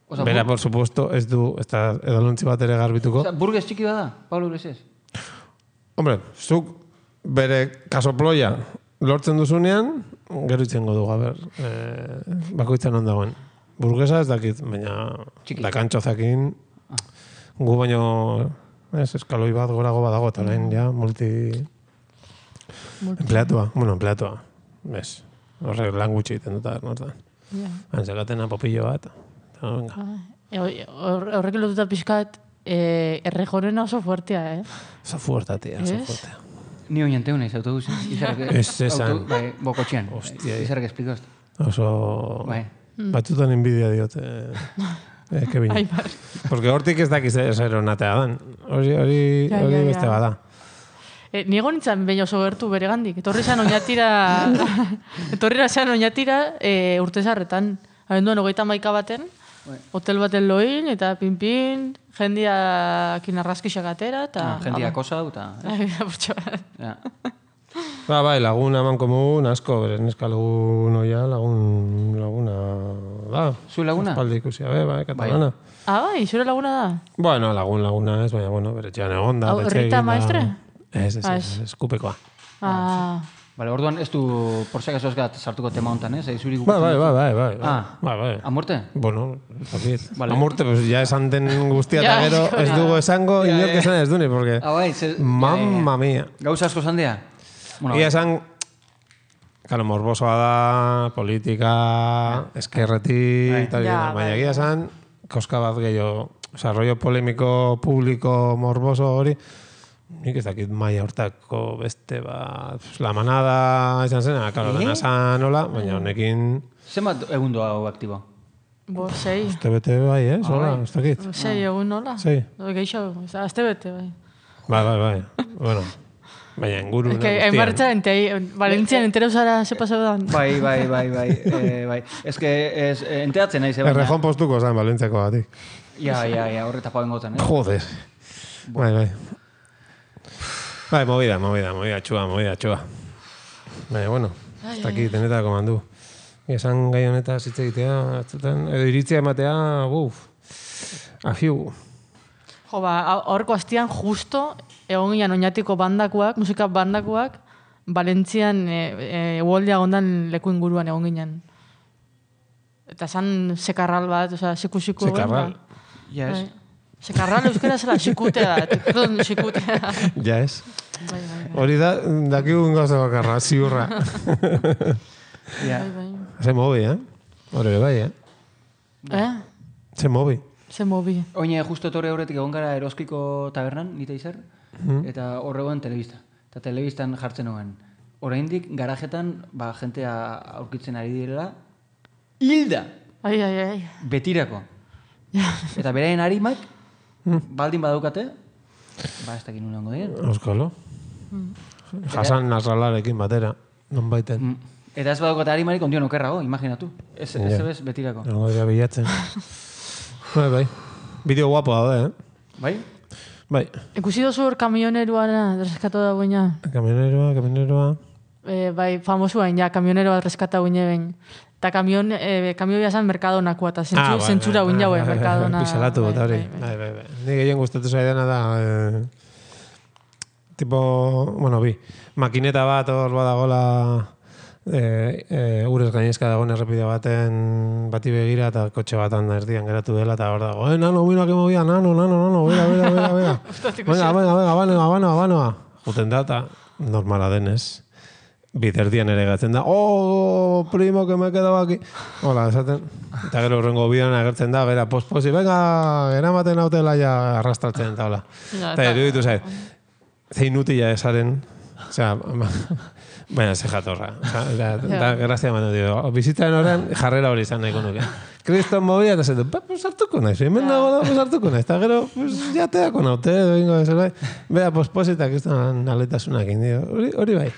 Osa, Bera, bur- por supuesto, ez du, ez da edalontzi bat ere garbituko. Osa, burgues txiki bada, Pablo Iglesias? Hombre, zuk bere kasoploia lortzen duzunean, gero itzengo dugu, a ber, eh, bakoitzan ondagoen. Burguesa ez dakit, baina Txiki. dakantxozakin, gu baino, ez, eskaloi bat gorago badago, eta orain, ja, multi... Empleatua, bueno, empleatua, bez, horrek lan gutxi egiten dut, nortan. Ja. Antzakatena popillo bat, eta venga. E, hor- Horrekin lotuta pixkat, eh, errejorena oso fuertea, eh? Oso fuertatia, oso Ez? fuertea. Ni oin anteu naiz autobusen. Izarrak... Ez esan. auto- Bai, bokotxean. Hostia. Izarrak esplikos. Oso... Bai. Batzutan envidia diote. Eh, Kevin. Ai, bai. Porque hortik ez dakiz zer onatea dan. Hori, hori, Ja, hori ja, ja. beste bada. E, nigo nintzen behin oso gertu bere gandik. Etorri zan oinatira... Etorri zan oinatira e, urtezarretan. Abenduan hogeita maika baten. Bai. Hotel baten loin, eta pin-pin, jendiakin arraskixak atera, eta... Ah, jendia kosa dut, eta... Ai, apurtxo bat. Ja. Ba, bai, lagun eman komun, asko, bere neska lagun oia, lagun, laguna, da. Zu laguna? Espaldi ikusi, abe, bai, katalana. Ah, bai, zure laguna da? Bueno, lagun laguna ez, baina, bueno, bere txean egon da. Hau, betxe Rita egin da. Maestre? Ez, ez, Ah, ez, ez, kupekoa. Ah, Vale, orduan ez du, por si acaso ez gat sartuko tema hontan, ez? Zuri Bai, bai, bai, bai, bai. Ah. Bai, bai. A muerte? Bueno, zakit. Vale. Amurte, pues ya esan den guztia Ja, eta gero ez dugu esango, Ja, inork ja. esan ez duni, porque... Ah, bai, ze... Mamma mia. Gauza asko zandea? Bueno, Ia esan, claro, morbosoa da, politika, eskerretik, Bai. tal, Ja, baina bai. egia esan, koska bat gehiago, oza, rollo polemiko, publiko, morboso hori, nik ez dakit maia hortako beste bat, pues, la manada, esan zena, claro, Eh? dena zan hola, baina honekin, zenbat egun doa hau aktibo? bo, sei. uste bete bai, eh, hola, bai. ez dakit. Sei egun nola? Sei. Geixo, azte bete, bai. Bai, bai, bai, bueno, baina inguru Es que en marcha, en Valentzian entero zara ze pasau dan. Bai, bai, bai, bai, eh, bai. Ez que, ez, eh, enteatzen naiz, eh, baina... Errejon postuko zan, Balentziako batik. Ja, ja, ja, horre tapauen goten, eh? Joder. Bai, bai. Bai, movida, movida, movida, txua, movida, txua. Baina, bueno, ez dakit, denetako mandu. Esan gai honetaz hitz egitea, atzutan, edo iritzia ematea, buf, afiu. Jo, ba, horko astian justo, egon ginen oinatiko bandakoak, musika bandakoak, Valentzian e, e, uoldia gondan leku inguruan egon ginen. Eta zan sekarral bat, oza, siku-siku. Sekarral. Ja, ez. Sekarral euskera zela, xikutea da. Perdón, xikutea. Ja ez. Bai, bai, bai. Hori da, dakigun gauza bakarra, ziurra. Ja. Bai, bai. Ze mobi, eh? Hori ere bai, eh? Eh? Ze mobi. Ze mobi. Oine, justo etorri aurretik egon gara Eroskiko tabernan, nita izar, Mhm. eta horregoen telebista. Eta telebistan jartzen nuen. Oraindik garajetan, ba, jentea aurkitzen ari direla, hilda, Ai, ai, ai. betirako. Eta beraien harimak, baldin badaukate, ba, ez dakin unango dien. Euskalo. Jasan Nasralarekin batera, non baiten. Mm. Eta ez badaukate harimarik ondion okerrago, imaginatu. Ez, ez Ja. ebez betirako. Nengo dira bilatzen. Bai, bai. Bideo guapo daude, eh? Bai? Bai. Ikusi dozu hor kamioneruana reskatu da guina. Kamioneroa, kamioneroa. E, bai, famosuain, ja, kamionero bat reskata guine behin. Eta kamion, e, kamioia zan Mercadonakoa, eta zentzu, bai, zentzura bai, guin jaue, bai, bai, Mercadona. Pixalatu bai, bota hori. bai, bai. Bai, bai, bai. Ni gehien gustatu zaidana da, eh, tipo, bueno, bi, makineta bat hor badagola, eh, eh, urez gainezka dagoen errepide baten bati begira eta kotxe batan erdian geratu dela eta hor dago, eh, nano, mira que movia, nano, nano, nano, bera, bera, bera, bera. Venga, venga, venga, banoa, banoa, banoa. Juten da eta normala denez. Biterdian ere gatzen da, oh, primo, que me he quedado aquí. Hola, esaten. Eta gero horrengo bidean agertzen da, bera, posposi, venga, eramaten hautela ja arrastratzen, eta hola. Ja, Eta eta- iruditu zait, zein utila esaren, osea, Baina, ze jatorra. Da, da, grazia manu dio. Bizitzaren horren jarrera hori izan nahiko nuke. Kriston mobila eta zen du, pues hartuko naiz, hemen dago da, pues hartuko naiz. Eta gero, pues jateako naute, doingo zerbait. Bea, posposita kriston aletasunak indio. Hori, hori bai.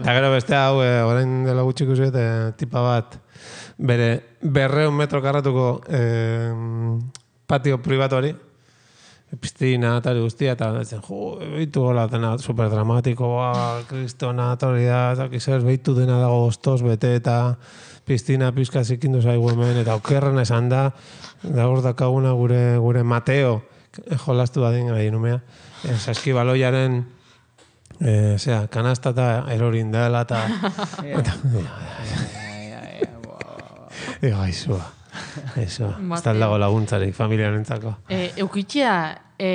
Eta gero beste hau, eh, orain dela gutxiko zuet, eh, tipa bat, bere berreun metro karratuko eh, patio pribatu hori, pistina eta hori guztia, eta zen, jo, behitu gola dena superdramatikoa, kristona, eta hori da, eta kizers, behitu dena dago goztoz bete, eta pistina pizka zikindu zaigu hemen, eta okerren esan da, da hor dakaguna gure, gure Mateo, jolastu badin gai numea, eh, saskibaloiaren, eh, zera, kanasta eta erorin dela, eta... Ego, aizua. Eso, ez dago laguntzarik, familiarentzako. E, eukitxea, e,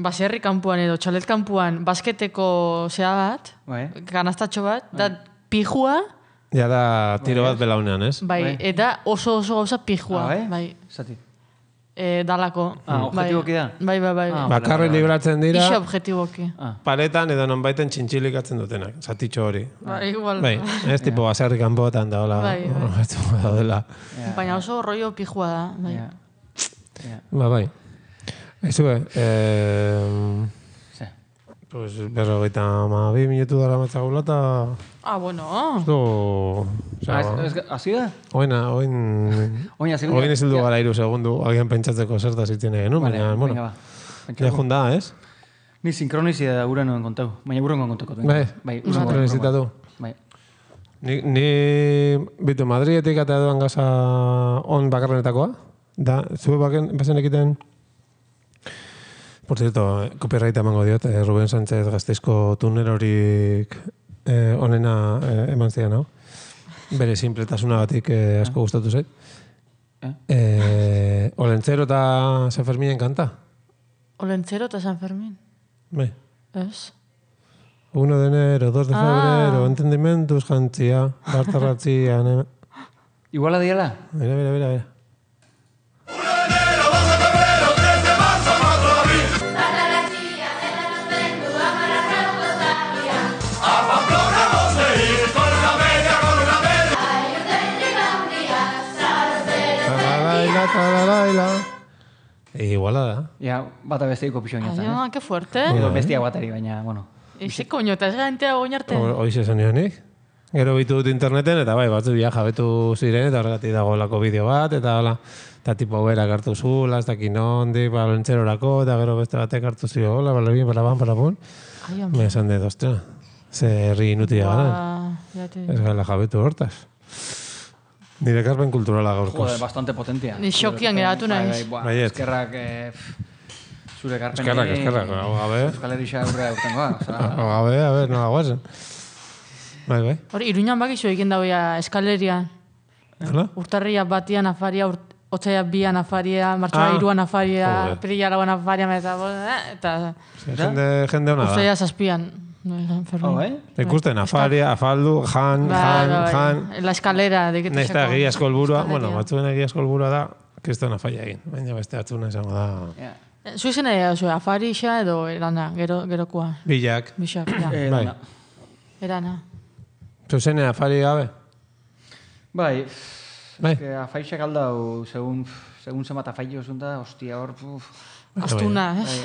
baserri kanpuan edo txalet kanpuan basketeko zea bat, Bai. kanastatxo bat, da pijua, Ja da tiro bat belaunean, ez? bai, Bai. eta oso oso gauza pijua, Ah, bai? bai, Zati. e, dalako. Ah, objetiboki da? Bai, bai, bai. Ah, Bakarri libratzen dira, Ixe objetiboki. Ah. paretan edo nonbaiten txintxilikatzen dutenak, zatitxo hori. Bai, igual. Bai, ez tipo baserri kanpoetan da, hola, Bai, bai. daudela. Baina oso rollo pijua da, bai. Ja. Ja. Ba, bai. Aizue, eh, Ze. pues, berrogeita ma bi minutu dara matzagula, eta... Ah, bueno. Du... Ah, ez- ez- Hasi da? Oina, oin... Oina, segundu. Oin ezildu gara iru segundu, agian pentsatzeko zertaz itzen egin, Vale, baina, bueno, venga, ba. ja junda, ez? Ni sinkronizi da gure noen kontau. Baina gure noen kontako. Bai, bai, sinkronizitatu. Bai. Ni, ni bitu, Madrietik eta edoan gaza on bakarrenetakoa, da, zue baken, bazen ekiten, por cierto, copyright emango diot, eh, Ruben Sánchez Gasteizko tunerorik eh, onena eh, eman zidan, hau. Bere simpletasunagatik eh, asko gustatu zait. Eh? Eh, Olentzero eta San Ferminen kanta. Olentzero eta San Fermin. Bai. Ez? uno de enero, dos de Ah. febrero, entendimentuz jantzia, bartarratzia, ne... Iguala diala? Mira, mira, mira, mira. Taralaila, taralaila. Iguala da. Ja, bata besteiko pixo inotzen, Ah, eh? que fuerte. Edo bestia batari, baina, bueno. Ize koño, eta ez gaintea oinarte. Hoiz esan nionik. Gero bitu dut interneten, eta bai, batzu ja jabetu ziren, eta horregatik dago lako bideo bat, eta hola, eta tipo berak hartu zula, ez dakin ondik, balentzerorako, eta gero beste batek hartu zio, hola, balabin, balabun, balabun. Ai, hombre. Me esan dut, ostra, ze herri inutia gara. Ba, ya te... Ez gala jabetu hortaz. Nire karpen kulturala gaurkoz. Joder, bastante potentia. Ni xokian geratu Bai, naiz. bai, buah, Baiet. Eskerrak, eh, pff, zure karpenei... Eskerrak, eskerrak, hau gabe. Euskal Herria aurrea urtengoa. Osea, Hau gabe, a ver, nola guazen. Bai, bai. Hori, Iruñan bakizu egin dagoia eskaleria. Hala? Urtarria batian afaria, urt, otzaia bian afaria, martxoa Ah. iruan afaria, Joder. pirila lauan afaria, eta, eh, eta Jende, jende hona da. urtzaia zazpian. No, San Fermin. hau, eh? Ikusten, afaria, afaldu, jan, Bai, jan, bai, jan. bai. La eskalera. Nahiz eta egia asko helburua, bueno, batzuen egia asko helburua da, kristona faia egin. Baina beste batzuna izango da... Ja. Zu izan nahi zu, afarixa edo erana, gero, gerokoa. Bilak. Bixak, ja. Eh, Bai. dana. Erana. Zuzene afari gabe? Bai, Bai. que afaixak aldau, segun, segun zemat afaixo zunta, hostia hor, puf, Astuna, ez?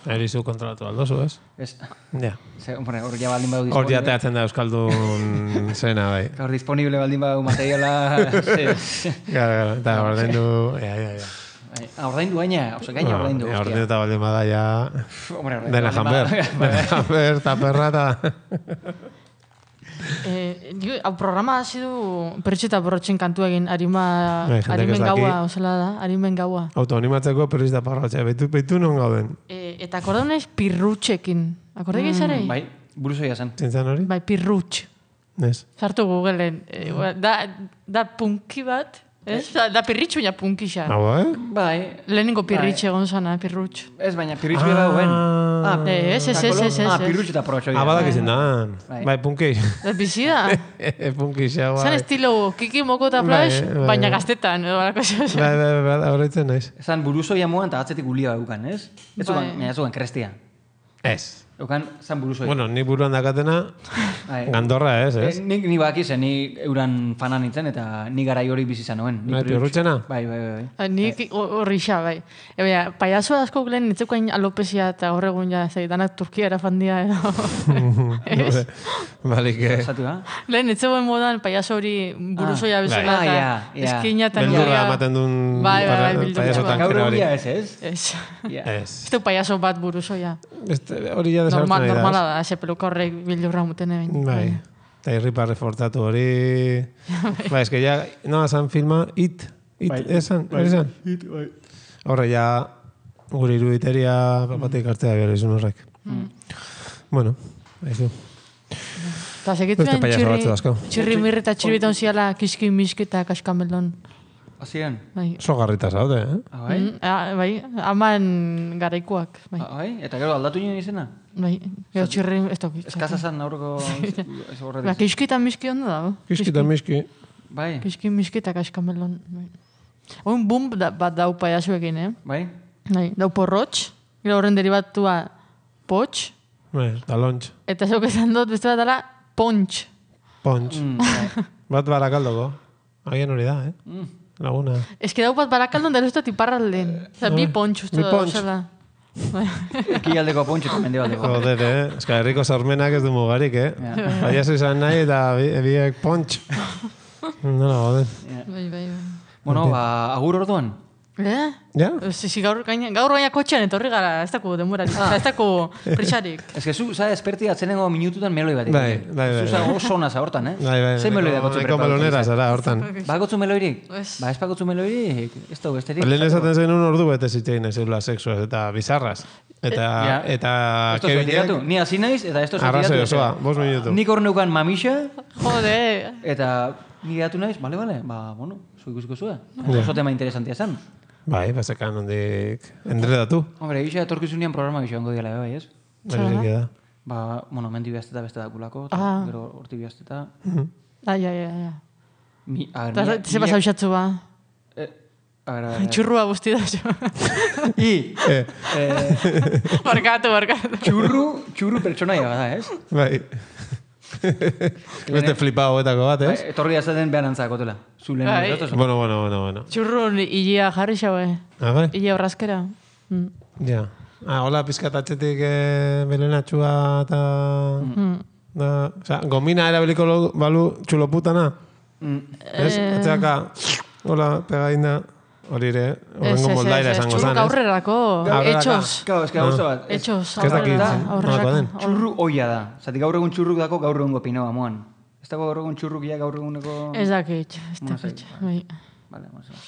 Erizu kontrolatu aldozu, ez? ez, Ja. ze, hombre, hor ja baldin badu Hor disponible. jateatzen da Euskaldun zena, bai. Hor disponible baldin badu materiala, ze, Gara, gara, eta ordaindu... Ja, ja, ja. bai, ah, ordaindu gaina, oza, gaina ordaindu, Ja, hostia. ordaindu eta baldin bada, ja... Pff, hombre, ordaindu Dena baldin janber. bada- Dena janber, eta perra, eta... Eh, digo, hau programa hasi du pertxeta borrotxen kantu egin arima, Bai, jendeak ez arimen daki. gaua, osela da, arimen gaua. Autoanimatzeko perrizta parratxea, behitu, behitu non gauden. E, eta akordau naiz pirrutxekin. Akordau mm, Bai, buruzoia zen. Zintzen hori? Bai, pirrutx. Ez. Sartu Googleen. E, da, da punki bat, ez? Da, da pirritxu baina punkixa. Hau, eh? Bai, Lehenengo pirritxe egon zana, pirrutx. ez baina pirritxu bera duen. Ah, Eh, ez, ez, ez, ez, ez. Ah, pirritxu eta porrotxo. ah, badak izin da. Bai. Bai, punki. Ez bizida. Punki xa, bai. Zan estilo kiki moko eta flash, Bai, bai, baina bai. gaztetan. edo halako zeo. Bai, bai, bai, bai, horretzen naiz. Esan buruzoia moan eta atzetik gulia dukan, ez? Ez Bai. zugan, ez zugan krestia. Ez. Eukan, zan buruzoi. Bueno, ni buruan dakatena, Bai. gandorra ez, ez? Eh, Nik ni bakizen, ni euran fana nintzen, eta ni garai hori bizi izan nuen. Ni Bai, prius- piurrutxena? Bai, bai, bai. Ah, Nik horri xa, bai. E, baina, paiazo asko lehen nitzeukain alopesia eta hor egun ja, zei, danak Turkia erafandia, edo. Ez? Balik, eh? Zatu, ha? Lehen nitzeuen modan paiazo hori buruzoia bezala, Bai. eta Ah, ja, ja. eskina eta Beldurra nirea- ematen duen Bai, bai, bai, para- beldurra. payaso Gaur tankera Gaur hori. egia ez, ez? Ez. Ja. Ez. Ez du paiazo bat buruzoia. Beste, hori ja Normal, desagertzen nahi normala da. da, ese peluka horrek bildurra muten egin. Bai. Eta irripa reforzatu hori... Bai, eske ja, no, esan filma, it, it, Bai. esan, esan. Hit, bai. Horre ja, gure iruditeria papatik hartzea behar izun horrek. Bueno, haizu. Eta segitu Beste paiazo batzu dauzko. txirri mirri eta txirriton ziala kiski miski eta kaskamelon. Hasieran. Bai. Oso garrita zaude, eh? Ah, bai? Mm, ah, bai, aman garaikoak. Bai, Ah, bai? Eta gero aldatu nien izena? bai. Gero txirri, ez toki. Eskaza zan aurreko ez Ba, horretiz. kiski eta miski ondo dago. Kiski eta miski. Bai, Kiski miski eta kaskamelon. Bai. Oin bum da, bat dau paiazuekin, eh? bai. Bai, dau porrotx, gero horren derivatua potx, Bai, talontx. eta zeuk esan dut beste bat dela pontx. Pontx. Mm, bai. Bat barakaldoko. Agian hori da, eh? Mm. Laguna. Ez que dau bat barakaldon dara uste iparralden. Oza, bi pontx uste Bi da. pontx. Osala. Bai. Ekialdeko pontxo eta mendebaldeko. Joder, eh? Eska herriko sormenak ez du mugarik, eh? Ja. Paiazo izan nahi eta bi- biek pontx. Nola, joder. Bai, bai, bai. Bueno, ba, agur orduan. Eh? Ja? Si, si, gaur, gaina, gaur gaina kotxean etorri gara, ez daku denborarik, ah. ez daku prisarik. Ez que zu, za, esperti atzenengo minututan meloi bat. Bai, bai, bai, Zu, za, oso ona za hortan, eh? Bai, bai. Ze meloi dakotzu Nahiko melonera zara, hortan. Bakotzu meloirik? Ez. Ba, ez bakotzu meloirik? Ez dugu, besterik? Lehen esaten zen un ordu bete zitzein ez eula sexuaz eta bizarraz. Eta, Ja. eta Esto zua tiratu. Ni hasi naiz, eta esto zua Arrazoi tiratu. osoa, bost minutu. Nik hor neukan mamixa, Jode, eta ni geratu naiz, bale, bale, ba, bueno, zu ikusiko zua. Oso tema interesantia zen. Bai, bazekan ondik endredatu. Hombre, gisa etorkizunean programa gisa ongo diala, bai, ez? Bai, da. Ba, bueno, mendi bihazteta beste dakulako, eta Ah. gero horti bihazteta. ai, ai, ai, ai. Mi, a ver, Eta mila- ze pasa usatzu ba. Eh, a ver, a ver. Txurrua guzti da zo. I, Eh, eh, barkatu, barkatu. txurru, txurru pertsonaia bada, ez? bai. Beste flipao etako bat, Bai, ez? etorri azaten behar antzakotela. Zu lehen Bai. ez Bueno, bueno, bueno, bueno. Txurru hilea jarri xaue. Ah, bai? Ile horrazkera. Mm. Ja. Ah, hola, pizkatatxetik eh, belenatxua eta... Mm. Da, o sea, gomina erabiliko lo- balu txuloputana. Mm. Ez? Atzeaka, hola, pegaina. Hori ere, Ez, horrengo ez, moldaira ez, ez, esango txurruk zan, ez? aurrerako, Aurreraka. etxos. Claro, es que gauza bat. ez- Etxos, Ez dakit, aurreraka, zen, nolakoa aurreraka. den. Txurru oia da. Zati gaur egun txurruk dako gaur egungo pinoa moan. Ez dago gaur egun txurrukia gaur eguneko... Ez dakit, ez Bueno, dakit. zait, Bai. Vale, bueno, zera.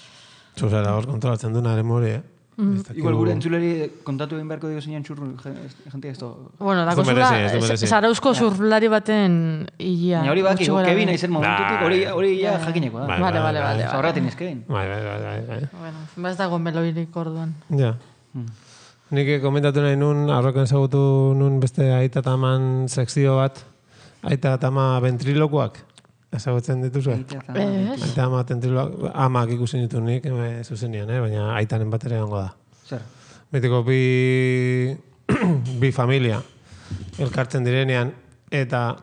Zuzera hor kontrolatzen duna ere mori, eh? Ez dakigu- Igual gure entzuleri kontatu egin beharko digo zeinan txurru, jentia ez to... Bueno, Ez dako du merezi, ez du zula, merezi. zarauzko zurlari baten hilea. Baina hori baki, gutxi gora Kevin behera. aizen momentutik, hori hori ja jakineko da. Bai, Vale, bai, vale, bai. vale. Zaurratin ezkein. Bai, bai, bai, bai, bai. Bueno, ba ez dago meloirik orduan. Ja. Nik komentatu nahi nun, aurreko ezagutu nun beste aita eta aman sekzio bat, aita eta ama ventrilokuak, ezagutzen dituzu? Ez? Aita ama ventrilokuak, amak ikusi ditu nik, eme, zuzenian, eh? Baina aitanen bat ere egongo da. Zer? Betiko bi, bi familia elkartzen direnean, eta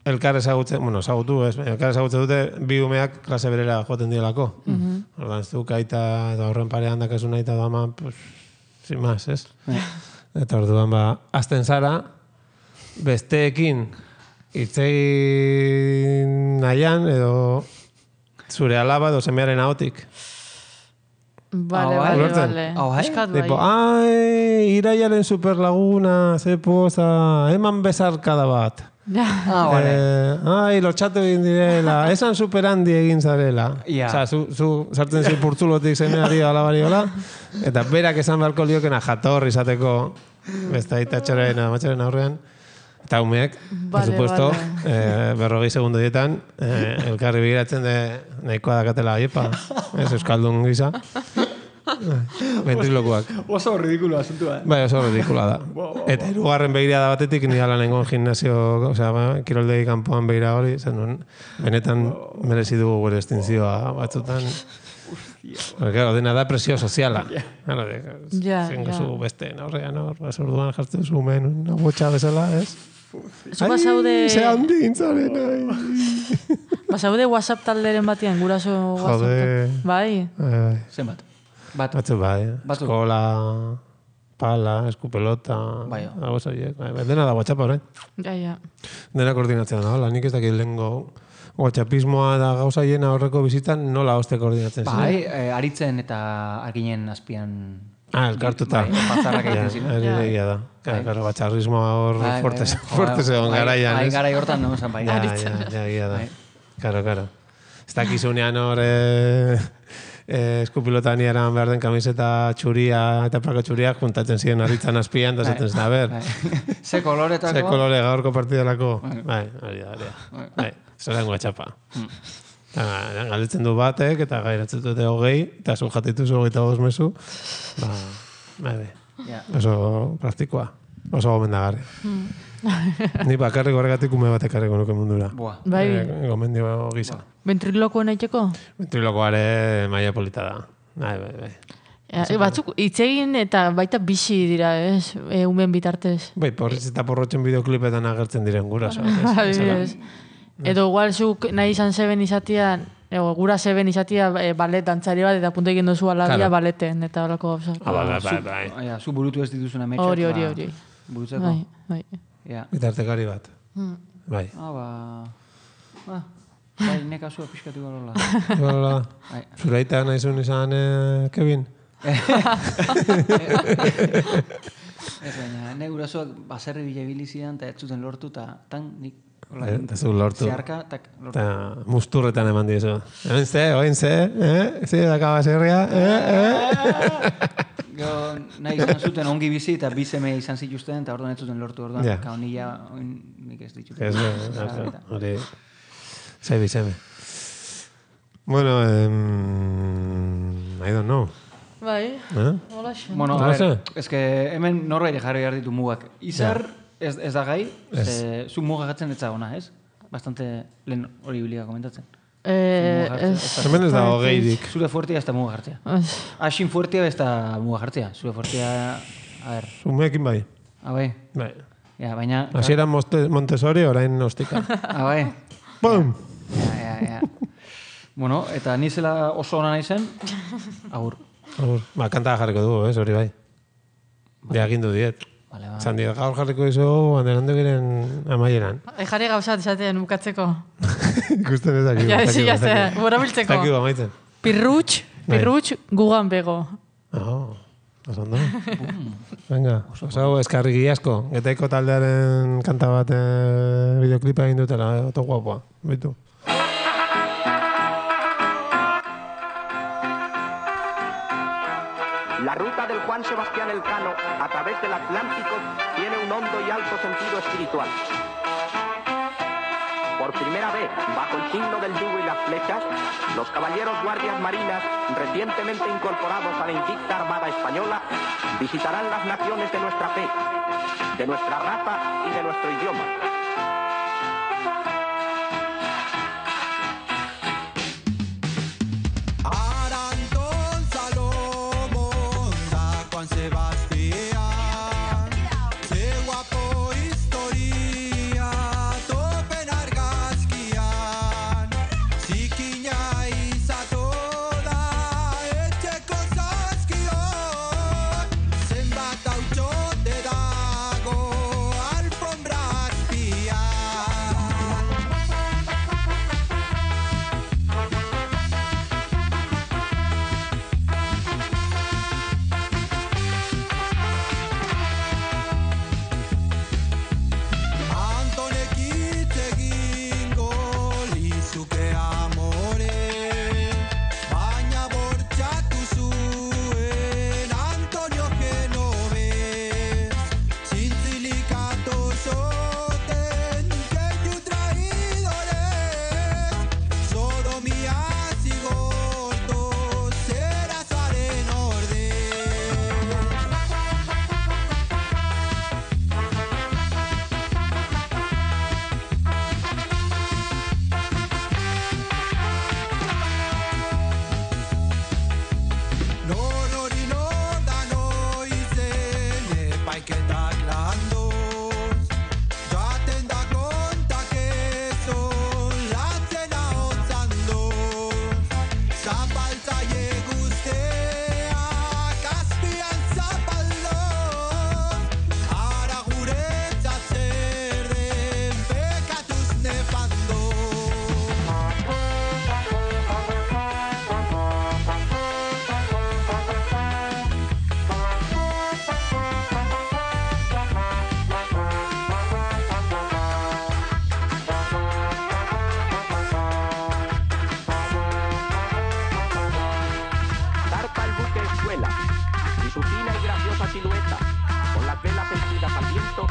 elkar ezagutzen, bueno, ezagutu, ez, baina elkar ezagutzen dute bi umeak klase berera joaten dielako. Ordan ez duk aita, edo horren parean dakasun aita edo ama, pues, sin más, ez? Eta orduan, ba, azten zara, besteekin hitzein nahian, edo zure alaba edo semearen ahotik. Vale, Ah, bai. vale, Ulertzen? vale. Ah, bai? Eskat bai. Tipo, ai, iraiaren superlaguna, ze poza, eman bezarkada bat. Ja. Ah, vale. Eh, ai, lotxatu egin direla, esan superhandi egin zarela. Ja. Osea, zu, zu sartzen zi purtzulotik zemeari alabari hola, eta berak esan beharko liokena jator izateko beste aitatxaren, amatxaren aurrean. Eta umeek, por Vale, supuesto, vale. eh, berrogei segundu dietan, eh, elkarri begiratzen de nahikoa dakatela aiepa, ez euskaldun gisa. Ventrilokuak. Oso ridikulo asuntua. Bai, oso ridikula da. Eta hirugarren begirada batetik ni ala nengon gimnasio, osea, ba, kiroldegi kanpoan begira hori, zen nun, benetan merezi dugu gure estintzioa batzutan. Claro, dena da presio soziala. Claro, Ja, zen ja. gozu beste, aurrean hor, bas orduan jartzen zu men, una botxa bezala, ez? Zu basaude... Ze handin zaren, ai. Basaude WhatsApp talderen batean, guraso WhatsApp. Jode. Bai. Bai, bai. Zenbat? Bat. Batzu bai, eh? Batzuk. Eskola, pala, eskupelota, Bai. hau zaiek. Bai, bai, dena da WhatsApp orain. Ja, ja. Dena koordinatzen da, hola, nik ez dakit lehengo WhatsAppismoa da gauza hiena horreko bizitan nola hoste koordinatzen ziren. Bai, eh, aritzen eta arginen azpian... Ah, elkartuta. Bai, batzarrak Ja, egiten ziren. hori egia da. Claro, claro, batxarrismoa hor Bai, bai, fuerte, bai. fuerte zegoen Bai, garaian, bai, ez? garai hortan, no, esan bai. Ja, ja, ja, egia da. Bai. Claro, claro. Ez dakizunean hor eh, eh, eskupilotan eran behar den kamiseta txuria eta plaka txuriak juntatzen ziren aritzan azpian, da zaten zen, a ber, Bai. Ze koloretako... ze kolore gaurko partidalako. Bai, hori da, hori da. Bai, zeren guatxapa. Eta galdetzen du batek, eta gairatzen dute hogei, eta zu jatituzu hogeita bost mezu. Ba, bai, bai. Ja. Oso praktikoa. Oso gomendagarri. Ni bakarrik horregatik ume bat ekarriko nuke mundura. Boa. Bai. Eh, gomendio gisa. Ventriloquo naiteko? Ventrilokoare maila polita da. Bai, bai, bai. Ja, e, batzuk hitz egin eta baita bizi dira, ez? E, umen bitartez. Bai, porritz eta porrotzen bideoklipetan agertzen diren guraso. Adibidez. Edo igual zuk nahi izan zeben izatia, ego, gura zeben izatia e, balet dantzari bat, eta punto egin duzu alabia Claro. baleten, eta horako gauzak. Ah, bai, bai, Zu- bai. Ja, zu burutu ez dituzun ametsak. Hori, hori, ba, hori. Burutzeko. Bai, bai. Ja. Bitartekari bat. Bai. Ah, ba... Ba, bai, neka zua pixkatu garola. Hola. Bai. Zuraita nahizun izan, eh, Kevin? Ez baina, ne gurasoak baserri bilabili zidan, eta ez zuten lortu, eta tan nik... hola, Eh, eta zu lortu. Zeharka, tak lortu. Eta musturretan eman dizu. Hemen ze, oin ze, eh? Ze daka baserria, eh, eh? Gero, nahi izan zuten ongi bizi, eta bi seme izan zituzten, eta orduan ez zuten lortu, orduan, Ja. kao nila, oin, nik ez ditut. Ez, eh, hori, zai bizeme. Bueno, em, I don't know. Bai, Eh? hola xo. Bueno, Hola, a ver, ze? es que hemen norbait jarri behar ditu mugak. Izar, ez, ez da gai, ze, zu mugagatzen ez ona, ez? Bastante lehen hori bilia komentatzen. Eh, Muga ez... jartzen, Hemen ez dago geirik. Zure fuertea ez da muga jartzea. Ez. Asin fuertea ez da muga jartzea. Zure fuertea, a ver, Umeekin bai. ah, bai, Bai. ja, baina... Hasiera Moste- Montessori, orain ostika. Ah, bai, Pum! ja, ja, ja. Bueno, eta ni zela oso ona naizen, agur. Agur. Ba, kanta jarriko dugu, ez, hori bai. Ja, agindu diet. Vale, ba. Zan diet, gaur jarriko izu, banderando giren amaieran. E, jarri gauzat esaten bukatzeko. Ikusten ez dakik. Ja, sí, ya sé, borabiltzeko. Dakik amaitzen. Pirrutx, pirrutx, gugan bego. Oh, oso ondo. Venga, oso eskarri giazko. Getaiko taldearen kanta bat eh, videoklipa egin dutela, eh, oto guapoa. Bitu. La ruta del Juan Sebastián Elcano a través del Atlántico tiene un hondo y alto sentido espiritual. Por primera vez, bajo el signo del yugo y las flechas, los caballeros guardias marinas, recientemente incorporados a la invicta Armada Española, visitarán las naciones de nuestra fe, de nuestra raza y de nuestro idioma. Aranton Salomón da Juan Sebastián, ze guapo historia topen argazkian, zikina izatoda etxeko zazkion, zenbat hautsote dago alfombra azpian. fina y graciosa silueta, con las velas henchidas al viento,